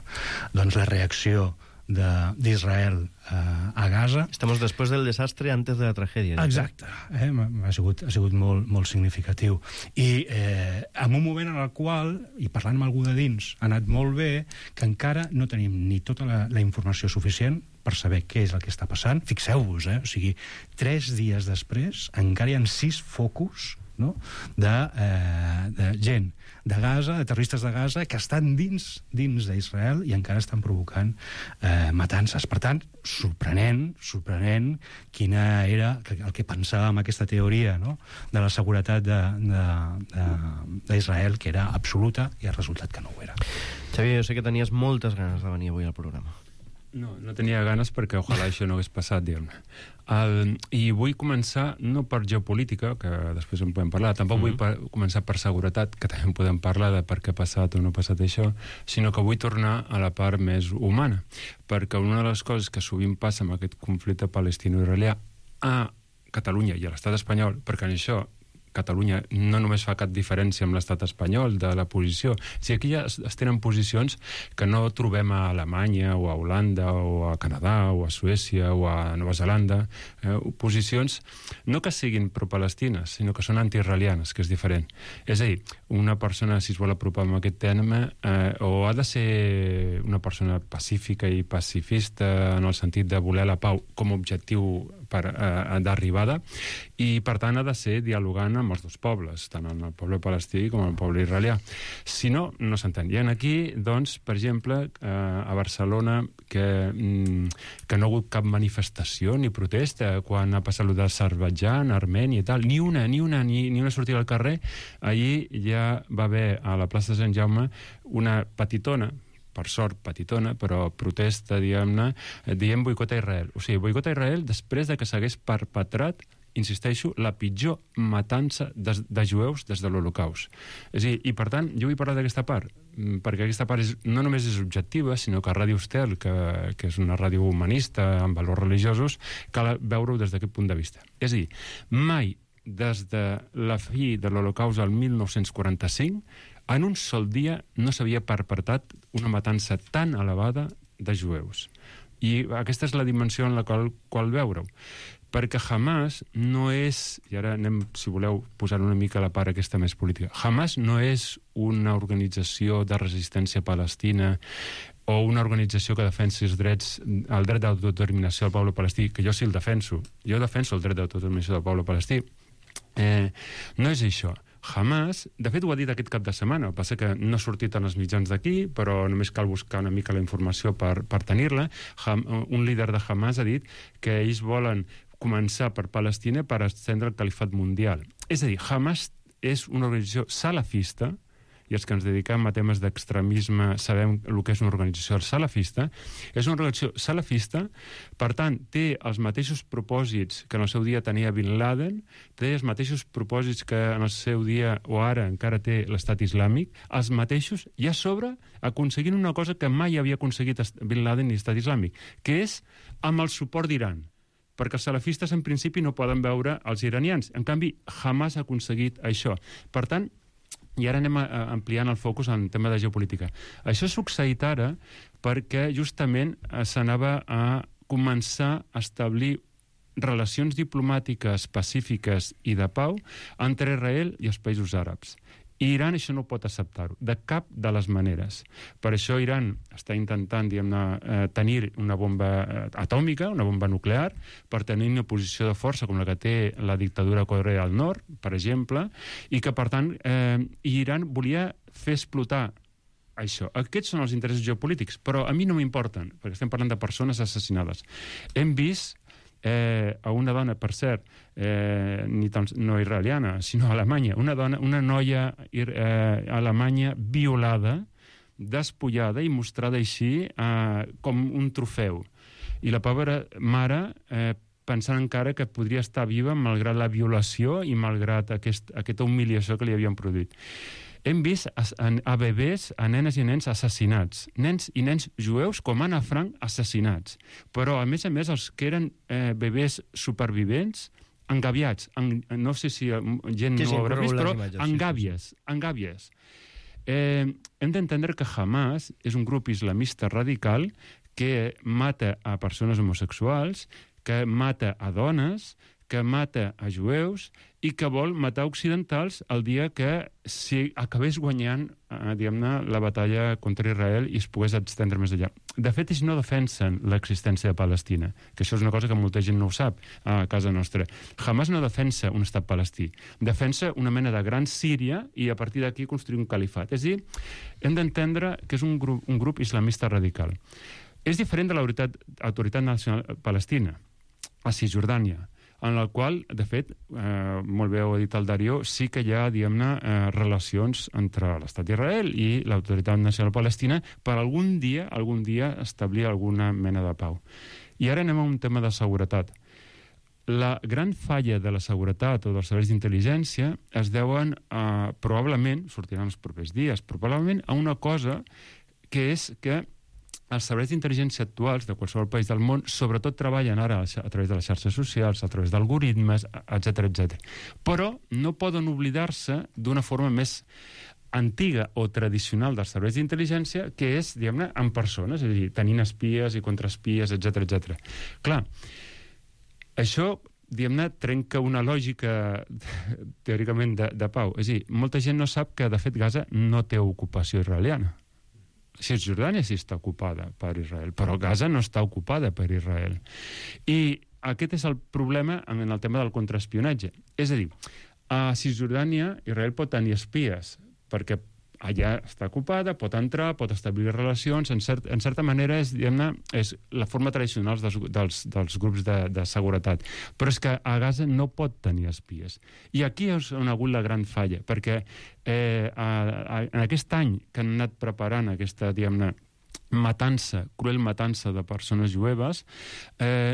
doncs la reacció d'Israel a Gaza. Estamos después del desastre antes de la tragedia. Exacte. Ha sigut molt significatiu. I en un moment en el qual, i parlant amb algú de dins, ha anat molt bé, que encara no tenim ni tota la informació suficient per saber què és el que està passant. Fixeu-vos, o sigui, 3 dies després encara hi ha 6 focus, no?, de gent de Gaza, de terroristes de Gaza, que estan dins d'Israel i encara estan provocant matances. Per tant, sorprenent quina era el que pensàvem aquesta teoria, no?, de la seguretat d'Israel, que era absoluta, i ha resultat que no ho era. Xavier, jo sé que tenies moltes ganes de venir avui al programa. No tenia ganes perquè ojalà això no hagués passat, diguem-ne. I vull començar no per geopolítica, que després en podem parlar, tampoc vull començar per seguretat, que també en podem parlar de per què ha passat o no ha passat això, sinó que vull tornar a la part més humana, perquè una de les coses que sovint passa amb aquest conflicte palestino-israelià a Catalunya i a l'estat espanyol, perquè en això Catalunya no només fa cap diferència amb l'estat espanyol de la posició. Si aquí ja es tenen posicions que no trobem a Alemanya o a Holanda o a Canadà o a Suècia o a Nova Zelanda, posicions no que siguin pro-palestines, sinó que són anti-israelianes, que és diferent. És a dir, una persona, si es vol apropar amb aquest tema, o ha de ser una persona pacífica i pacifista en el sentit de voler la pau com a objectiu d'arribada, i per tant ha de ser dialogant amb els dos pobles, tant en el poble palestí com en el poble israelià. Si no, no s'entén. I aquí, doncs, per exemple, a Barcelona, que no ha hagut cap manifestació ni protesta quan ha passat d'Azerbaidjan, Armènia i tal, ni una sortida al carrer. Allí ja va haver a la plaça de Sant Jaume una petitona, per sort petitona, però protesta, diguem-ne, dient boicot a Israel. O sigui, boicot a Israel després de que s'hagués perpetrat, insisteixo, la pitjor matança de jueus des de l'Holocaust. És a dir, i per tant, jo vull parlar d'aquesta part, perquè aquesta part no només és objectiva, sinó que Ràdio Estel, que és una ràdio humanista amb valors religiosos, cal veure-ho des d'aquest punt de vista. És a dir, mai des de la fi de l'Holocaust al 1945, en un sol dia no s'havia perpetrat una matança tan elevada de jueus. I aquesta és la dimensió en la qual veure-ho. Perquè Hamas no és, i ara anem, si voleu, posar una mica a la part aquesta més política, Hamas no és una organització de resistència palestina o una organització que defensi el dret d'autodeterminació del poble palestí, que jo sí el defenso. Jo defenso el dret d'autodeterminació del poble palestí. No és això. Hamas, de fet ho ha dit aquest cap de setmana, el que passa que no ha sortit en els mitjans d'aquí, però només cal buscar una mica la informació per tenir-la. Un líder de Hamas ha dit que ells volen començar per Palestina per estendre el califat mundial. És a dir, Hamas és una organització salafista, i els que ens dediquem a temes d'extremisme sabem el que és una organització salafista, és una organització salafista, per tant, té els mateixos propòsits que en el seu dia tenia Bin Laden, té els mateixos propòsits que en el seu dia, o ara encara té l'estat islàmic, els mateixos, i a sobre aconseguint una cosa que mai havia aconseguit Bin Laden ni l'estat islàmic, que és amb el suport d'Iran, perquè els salafistes en principi no poden veure els iranians. En canvi, Hamas ha aconseguit això. Per tant, i ara anem ampliant el focus en tema de geopolítica. Això ha succeït ara perquè justament s'anava a començar a establir relacions diplomàtiques pacífiques i de pau entre Israel i els països àrabs. I Iran això no pot acceptar-ho, de cap de les maneres. Per això Iran està intentant, diguem-ne, tenir una bomba atòmica, una bomba nuclear, per tenir una posició de força com la que té la dictadura de Corea del Nord, per exemple, i que, per tant, Iran volia fer explotar això. Aquests són els interessos geopolítics, però a mi no m'importen, perquè estem parlant de persones assassinades. Hem vist a una dona, per cert, no israeliana, sinó alemanya, una noia alemanya violada, despullada i mostrada així com un trofeu. I la pobra mare pensant encara que podria estar viva malgrat la violació i malgrat aquesta humiliació que li havien produït. Hem vist a bebès, a nenes i nens assassinats. Nens i nens jueus com Anna Frank assassinats. Però, a més, els que eren bebès supervivents, engaviats. No sé si gent no ho haurà vist, però engàvies. Hem d'entendre que Hamas és un grup islamista radical que mata a persones homosexuals, que mata a dones, que mata a jueus i que vol matar occidentals el dia que si acabés guanyant, diguem-ne, la batalla contra Israel i es pogués estendre més allà. De fet, ells no defensen l'existència de Palestina, que això és una cosa que molta gent no ho sap a casa nostra. Hamas no defensa un estat palestí, defensa una mena de gran Síria i a partir d'aquí construir un califat. És a dir, hem d'entendre que és un grup islamista radical. És diferent de l'autoritat nacional palestina, a Cisjordània. en el qual, de fet, molt bé ho ha dit el Darío, sí que hi ha, diguem-ne, relacions entre l'Estat d'Israel i l'Autoritat Nacional Palestina per algun dia establir alguna mena de pau. I ara anem a un tema de seguretat. La gran falla de la seguretat o dels serveis d'intel·ligència es deuen, probablement, sortiran els propers dies, probablement a una cosa que és que els serveis d'intel·ligència actuals de qualsevol país del món sobretot treballen ara a través de les xarxes socials, a través d'algoritmes, etc. Però no poden oblidar-se d'una forma més antiga o tradicional dels serveis d'intel·ligència, que és, diguem-ne, en persones, és a dir, tenint espies i contraespies, etc. Clar, això, diguem-ne, trenca una lògica teòricament de pau. És a dir, molta gent no sap que, de fet, Gaza no té ocupació israeliana. Cisjordània sí està ocupada per Israel, però Gaza no està ocupada per Israel. I aquest és el problema en el tema del contraespionatge. És a dir, a Cisjordània Israel pot tenir espies, perquè allà està ocupada, pot entrar, pot establir relacions, en certa manera és, diguem-ne, és la forma tradicional dels grups de seguretat. Però és que a Gaza no pot tenir espies. I aquí és on ha hagut la gran falla, perquè en aquest any que han anat preparant aquesta, diguem-ne, cruel matança de persones jueves,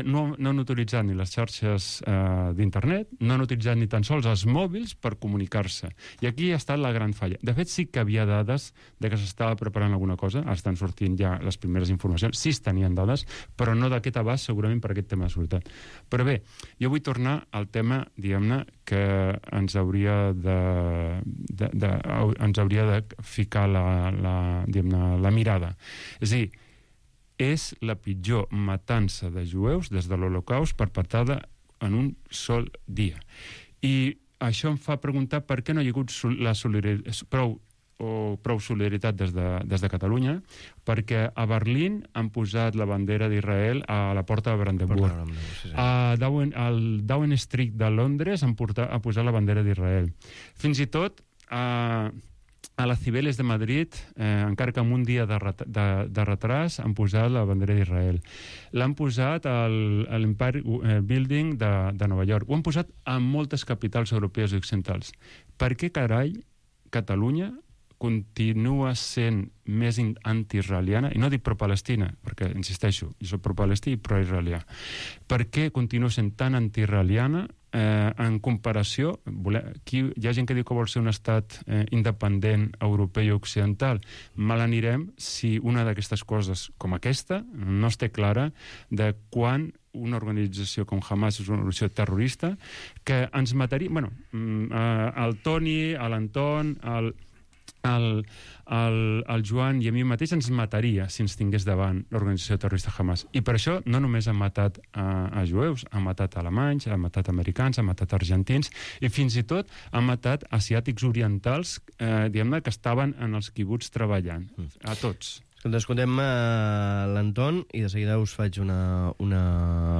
no han utilitzat ni les xarxes d'internet, no han utilitzat ni tan sols els mòbils per comunicar-se. I aquí ha estat la gran falla. De fet, sí que havia dades de que s'estava preparant alguna cosa, estan sortint ja les primeres informacions, sí es tenien dades, però no d'aquest abast, segurament per aquest tema de seguretat. Però bé, jo vull tornar al tema, diguem-ne, que ens hauria de ficar la mirada. És a dir, és la pitjor matança de jueus des de l'Holocaust perpetrada en un sol dia. I això em fa preguntar per què no hi ha hagut prou solidaritat des de Catalunya, perquè a Berlín han posat la bandera d'Israel a la porta de Brandenburg. Al Downing Street de Londres han posat la bandera d'Israel. Fins i tot a les Cibeles de Madrid, encara que amb un dia de retras, han posat la bandera d'Israel. L'han posat a l'Empire Building de Nova York. Ho han posat a moltes capitals europees i occidentals. Per què, carai, Catalunya continua sent més anti-israeliana, i no dic pro-palestina, perquè, insisteixo, jo soc pro-palestí i pro-israelià. Per què continua sent tan anti-israeliana en comparació? Hi ha gent que diu que vol ser un estat independent europeu i occidental. Mal anirem si una d'aquestes coses com aquesta no es té clara de quan una organització com Hamas és una organització terrorista que ens mataria... Bueno, el Toni, l'Anton, el Joan i a mi mateix ens mataria si ens tingués davant l'organització terrorista Hamas. I per això no només han matat a jueus, han matat alemanys, han matat americans, han matat argentins i fins i tot han matat asiàtics orientals, diguem-ne, que estaven en els quibuts treballant. A tots. Escoltem l'Anton i de seguida us faig una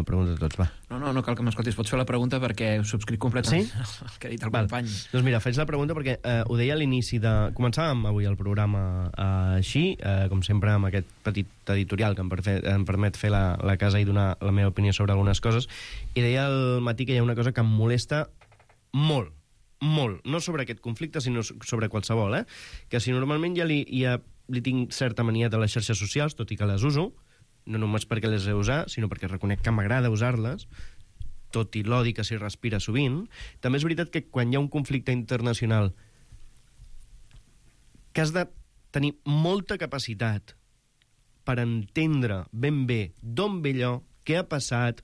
pregunta a tots, va. No cal que m'escoltis, pots fer la pregunta perquè ho subscric completament el que ha dit el company. Doncs mira, faig la pregunta perquè ho deia a l'inici de... Començàvem avui el programa així, com sempre amb aquest petit editorial que em permet fer la casa i donar la meva opinió sobre algunes coses, i deia al matí que hi ha una cosa que em molesta molt, no sobre aquest conflicte, sinó sobre qualsevol, que si normalment ja li tinc certa mania de les xarxes socials, tot i que les uso, no només perquè les he usat, sinó perquè reconec que m'agrada usar-les, tot i l'odi que s'hi respira sovint. També és veritat que quan hi ha un conflicte internacional que has de tenir molta capacitat per entendre ben bé d'on ve allò, què ha passat,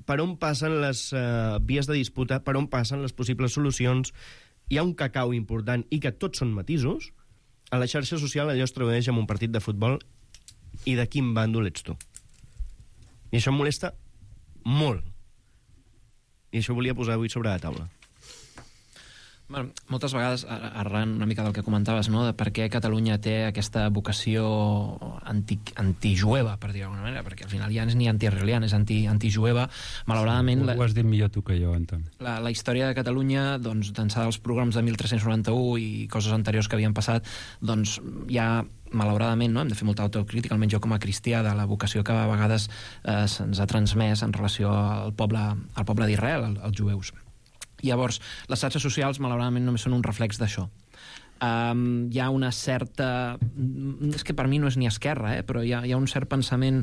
per on passen les vies de disputa, per on passen les possibles solucions. Hi ha un cacau important i que tots són matisos. A la xarxa social allò es tradueix en un partit de futbol i de quin bàndol ets tu. I això em molesta molt. I això volia posar avui sobre la taula. Bueno, moltes vegades, arran una mica del que comentaves, no?, de per què Catalunya té aquesta vocació antijueva, per dir d'alguna manera, perquè al final ja no és ni anti-israeliana, és antijueva. Malauradament... Ho has dit millor tu que jo, Anton. La història de Catalunya, doncs, d'ençà dels programes de 1391 i coses anteriors que havien passat, doncs, hi ha malauradament, no? Hem de fer molta autocrítica, almenys jo com a cristià, de la vocació que a vegades se'ns ha transmès en relació al poble d'Israel, als jueus. Llavors, les xarxes socials, malauradament, només són un reflex d'això. Hi ha una certa... És que per mi no és ni esquerra, però hi ha un cert pensament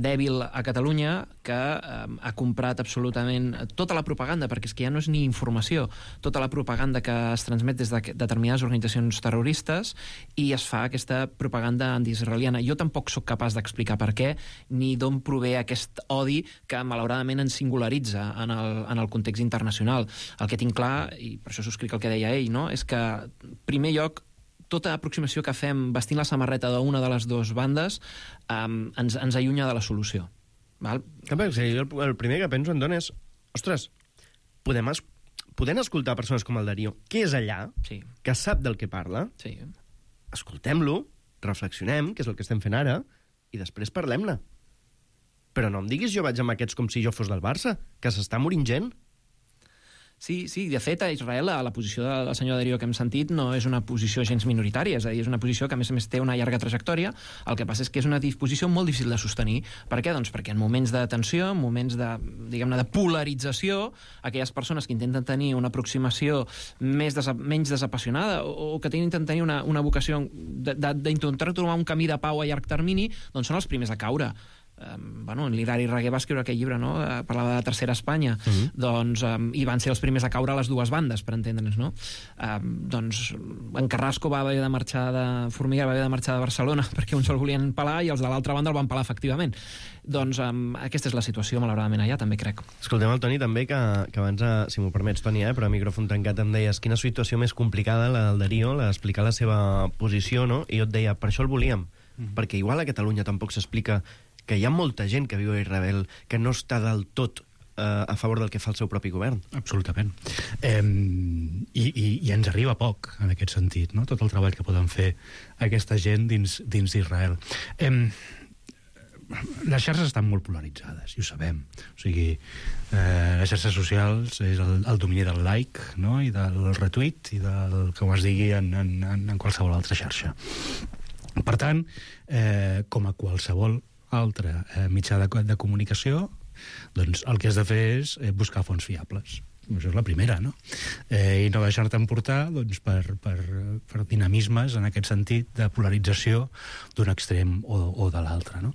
dèbil a Catalunya que ha comprat absolutament tota la propaganda, perquè és que ja no és ni informació, tota la propaganda que es transmet des de determinades organitzacions terroristes, i es fa aquesta propaganda antiisraeliana. Jo tampoc sóc capaç d'explicar per què, ni d'on prové aquest odi que malauradament ens singularitza en el context internacional. El que tinc clar, i per això subscric el que deia ell, no? És que primer lloc, tota aproximació que fem vestint la samarreta d'una de les dues bandes ens allunya de la solució. Val? El primer que penso, Anton, és ostres, podem escoltar persones com el Darío, que és allà, que sap del que parla, escoltem-lo, reflexionem, que és el que estem fent ara, i després parlem-ne. Però no em diguis jo vaig amb aquests com si jo fos del Barça, que s'està morint gent. Sí, de fet, a Israel la posició del senyor Darío que hem sentit no és una posició gens minoritària, és a dir, és una posició que a més té una llarga trajectòria. El que passa és que és una disposició molt difícil de sostenir. Per què? Doncs perquè en moments de tensió, en moments de, diguem-ne, de polarització, aquelles persones que intenten tenir una aproximació menys desapassionada o que intenten tenir una vocació d'intentar trobar un camí de pau a llarg termini, doncs són els primers a caure. L'Hilari Raguer va escriure aquell llibre, no? Parlava de la Tercera Espanya, doncs, i van ser els primers a caure a les dues bandes, per entendre'ns, no? Doncs en Carrasco va haver de marxar de Formiguera, va haver de marxar de Barcelona perquè uns el volien pelar i els de l'altra banda el van pelar efectivament. Doncs aquesta és la situació, malauradament, allà, també crec. Escoltem el Toni també, que abans, si m'ho permets, Toni, però a micròfon tancat em deies quina situació més complicada la del Darío, l'explicar la seva posició, no? I jo et deia, per això el volíem, perquè igual a Catalunya tampoc s'explica que hi ha molta gent que viu a Israel que no està del tot a favor del que fa el seu propi govern. Absolutament. I ens arriba poc, en aquest sentit, no? Tot el treball que poden fer aquesta gent dins d'Israel. Les xarxes estan molt polaritzades, i ho sabem. O sigui, les xarxes socials és el domini del like, no? I del retweet i del que es digui en qualsevol altra xarxa. Per tant, com a qualsevol altre mitjà de comunicació, doncs el que has de fer és buscar fonts fiables. Això és la primera, no? I no deixar-te emportar doncs, per dinamismes en aquest sentit de polarització d'un extrem o de l'altre, no?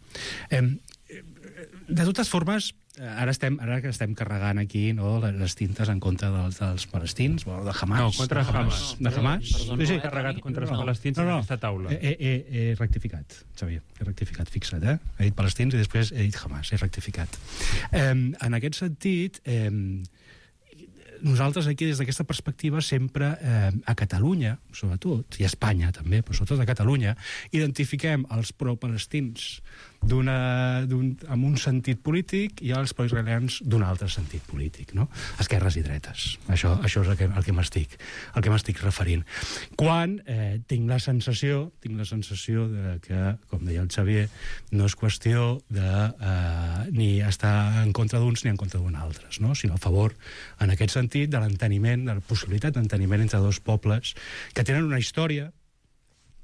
De totes formes, ara que estem carregant aquí, no, les tintes en contra dels palestins, de Hamas. No, contra Hamas. De Hamas? Sí, carregat contra els palestins en aquesta taula. He rectificat, Xavier, he rectificat, fixa't, He dit palestins i després he dit Hamas, he rectificat. En aquest sentit, nosaltres aquí, des d'aquesta perspectiva, sempre a Catalunya, sobretot, i a Espanya també, però sobretot a Catalunya, identifiquem els pro-palestins amb un sentit polític i els pro-israelians d'un altre sentit polític, no? Esquerres i dretes. Això és el que m'estic referint. Quan tinc la sensació de que, com deia el Xavier, no és qüestió de ni estar en contra d'uns ni en contra d'uns altres, no? Sinó a favor, en aquest sentit, de l'enteniment, de la possibilitat d'enteniment entre dos pobles que tenen una història,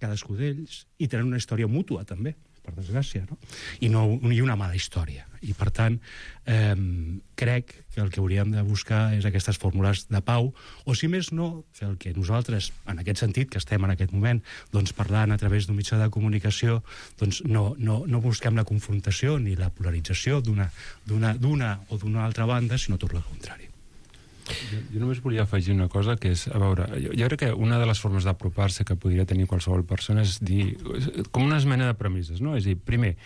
cadascú d'ells, i tenen una història mútua, també, per desgràcia, no? I una mala història. I, per tant, crec que el que hauríem de buscar és aquestes fórmules de pau, o, si més no, fer el que nosaltres, en aquest sentit, que estem en aquest moment, doncs, parlant a través d'un mitjà de comunicació, doncs no busquem la confrontació ni la polarització d'una o d'una altra banda, sinó tot el contrari. Jo només volia afegir una cosa, que és, a veure, jo crec que una de les formes d'apropar-se que podria tenir qualsevol persona és dir, com una esmena de premisses, no? És a dir, primer,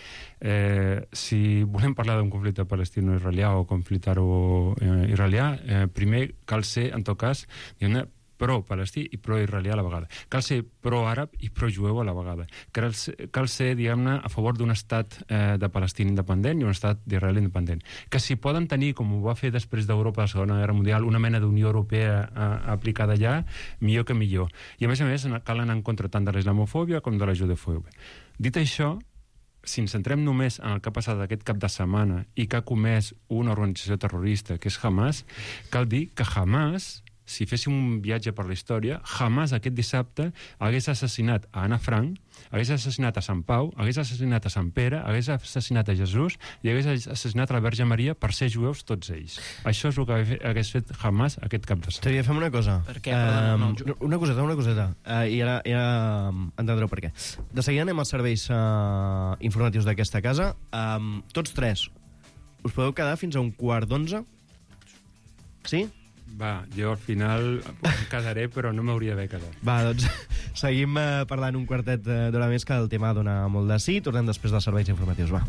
si volem parlar d'un conflicte palestino-israelià o conflicte-israelià, primer cal ser, en tot cas, diguem-ne, pro-palestí i pro-israelià a la vegada. Cal ser pro-àrab i pro-jueu a la vegada. Cal ser, diguem-ne, a favor d'un estat de Palestina independent i un estat d'Israel independent. Que si poden tenir, com ho va fer després d'Europa a la Segona Guerra Mundial, una mena d'Unió Europea aplicada allà, millor que millor. I a més, cal anar en contra tant de la islamofòbia com de la judefòbia. Dit això, si ens centrem només en el que ha passat aquest cap de setmana i que ha comès una organització terrorista, que és Hamas, cal dir que Hamas si féssim un viatge per la història, Hamas aquest dissabte hagués assassinat a Anna Frank, hagués assassinat a Sant Pau, hagués assassinat a Sant Pere, hagués assassinat a Jesús i hagués assassinat a la Verge Maria per ser jueus tots ells. Això és el que hagués fet Hamas aquest cap de setmana. Xavier, fem una cosa. Per què? Perdona, una coseta. I ara entendreu per què. De seguida anem als serveis informatius d'aquesta casa. Tots tres, us podeu quedar fins a 11:15? Sí? Va, jo al final em quedaré, però no m'hauria d'haver quedat. Va, doncs seguim parlant un quartet d'hora més, que el tema dona molt de sí. Tornem després dels serveis informatius, va.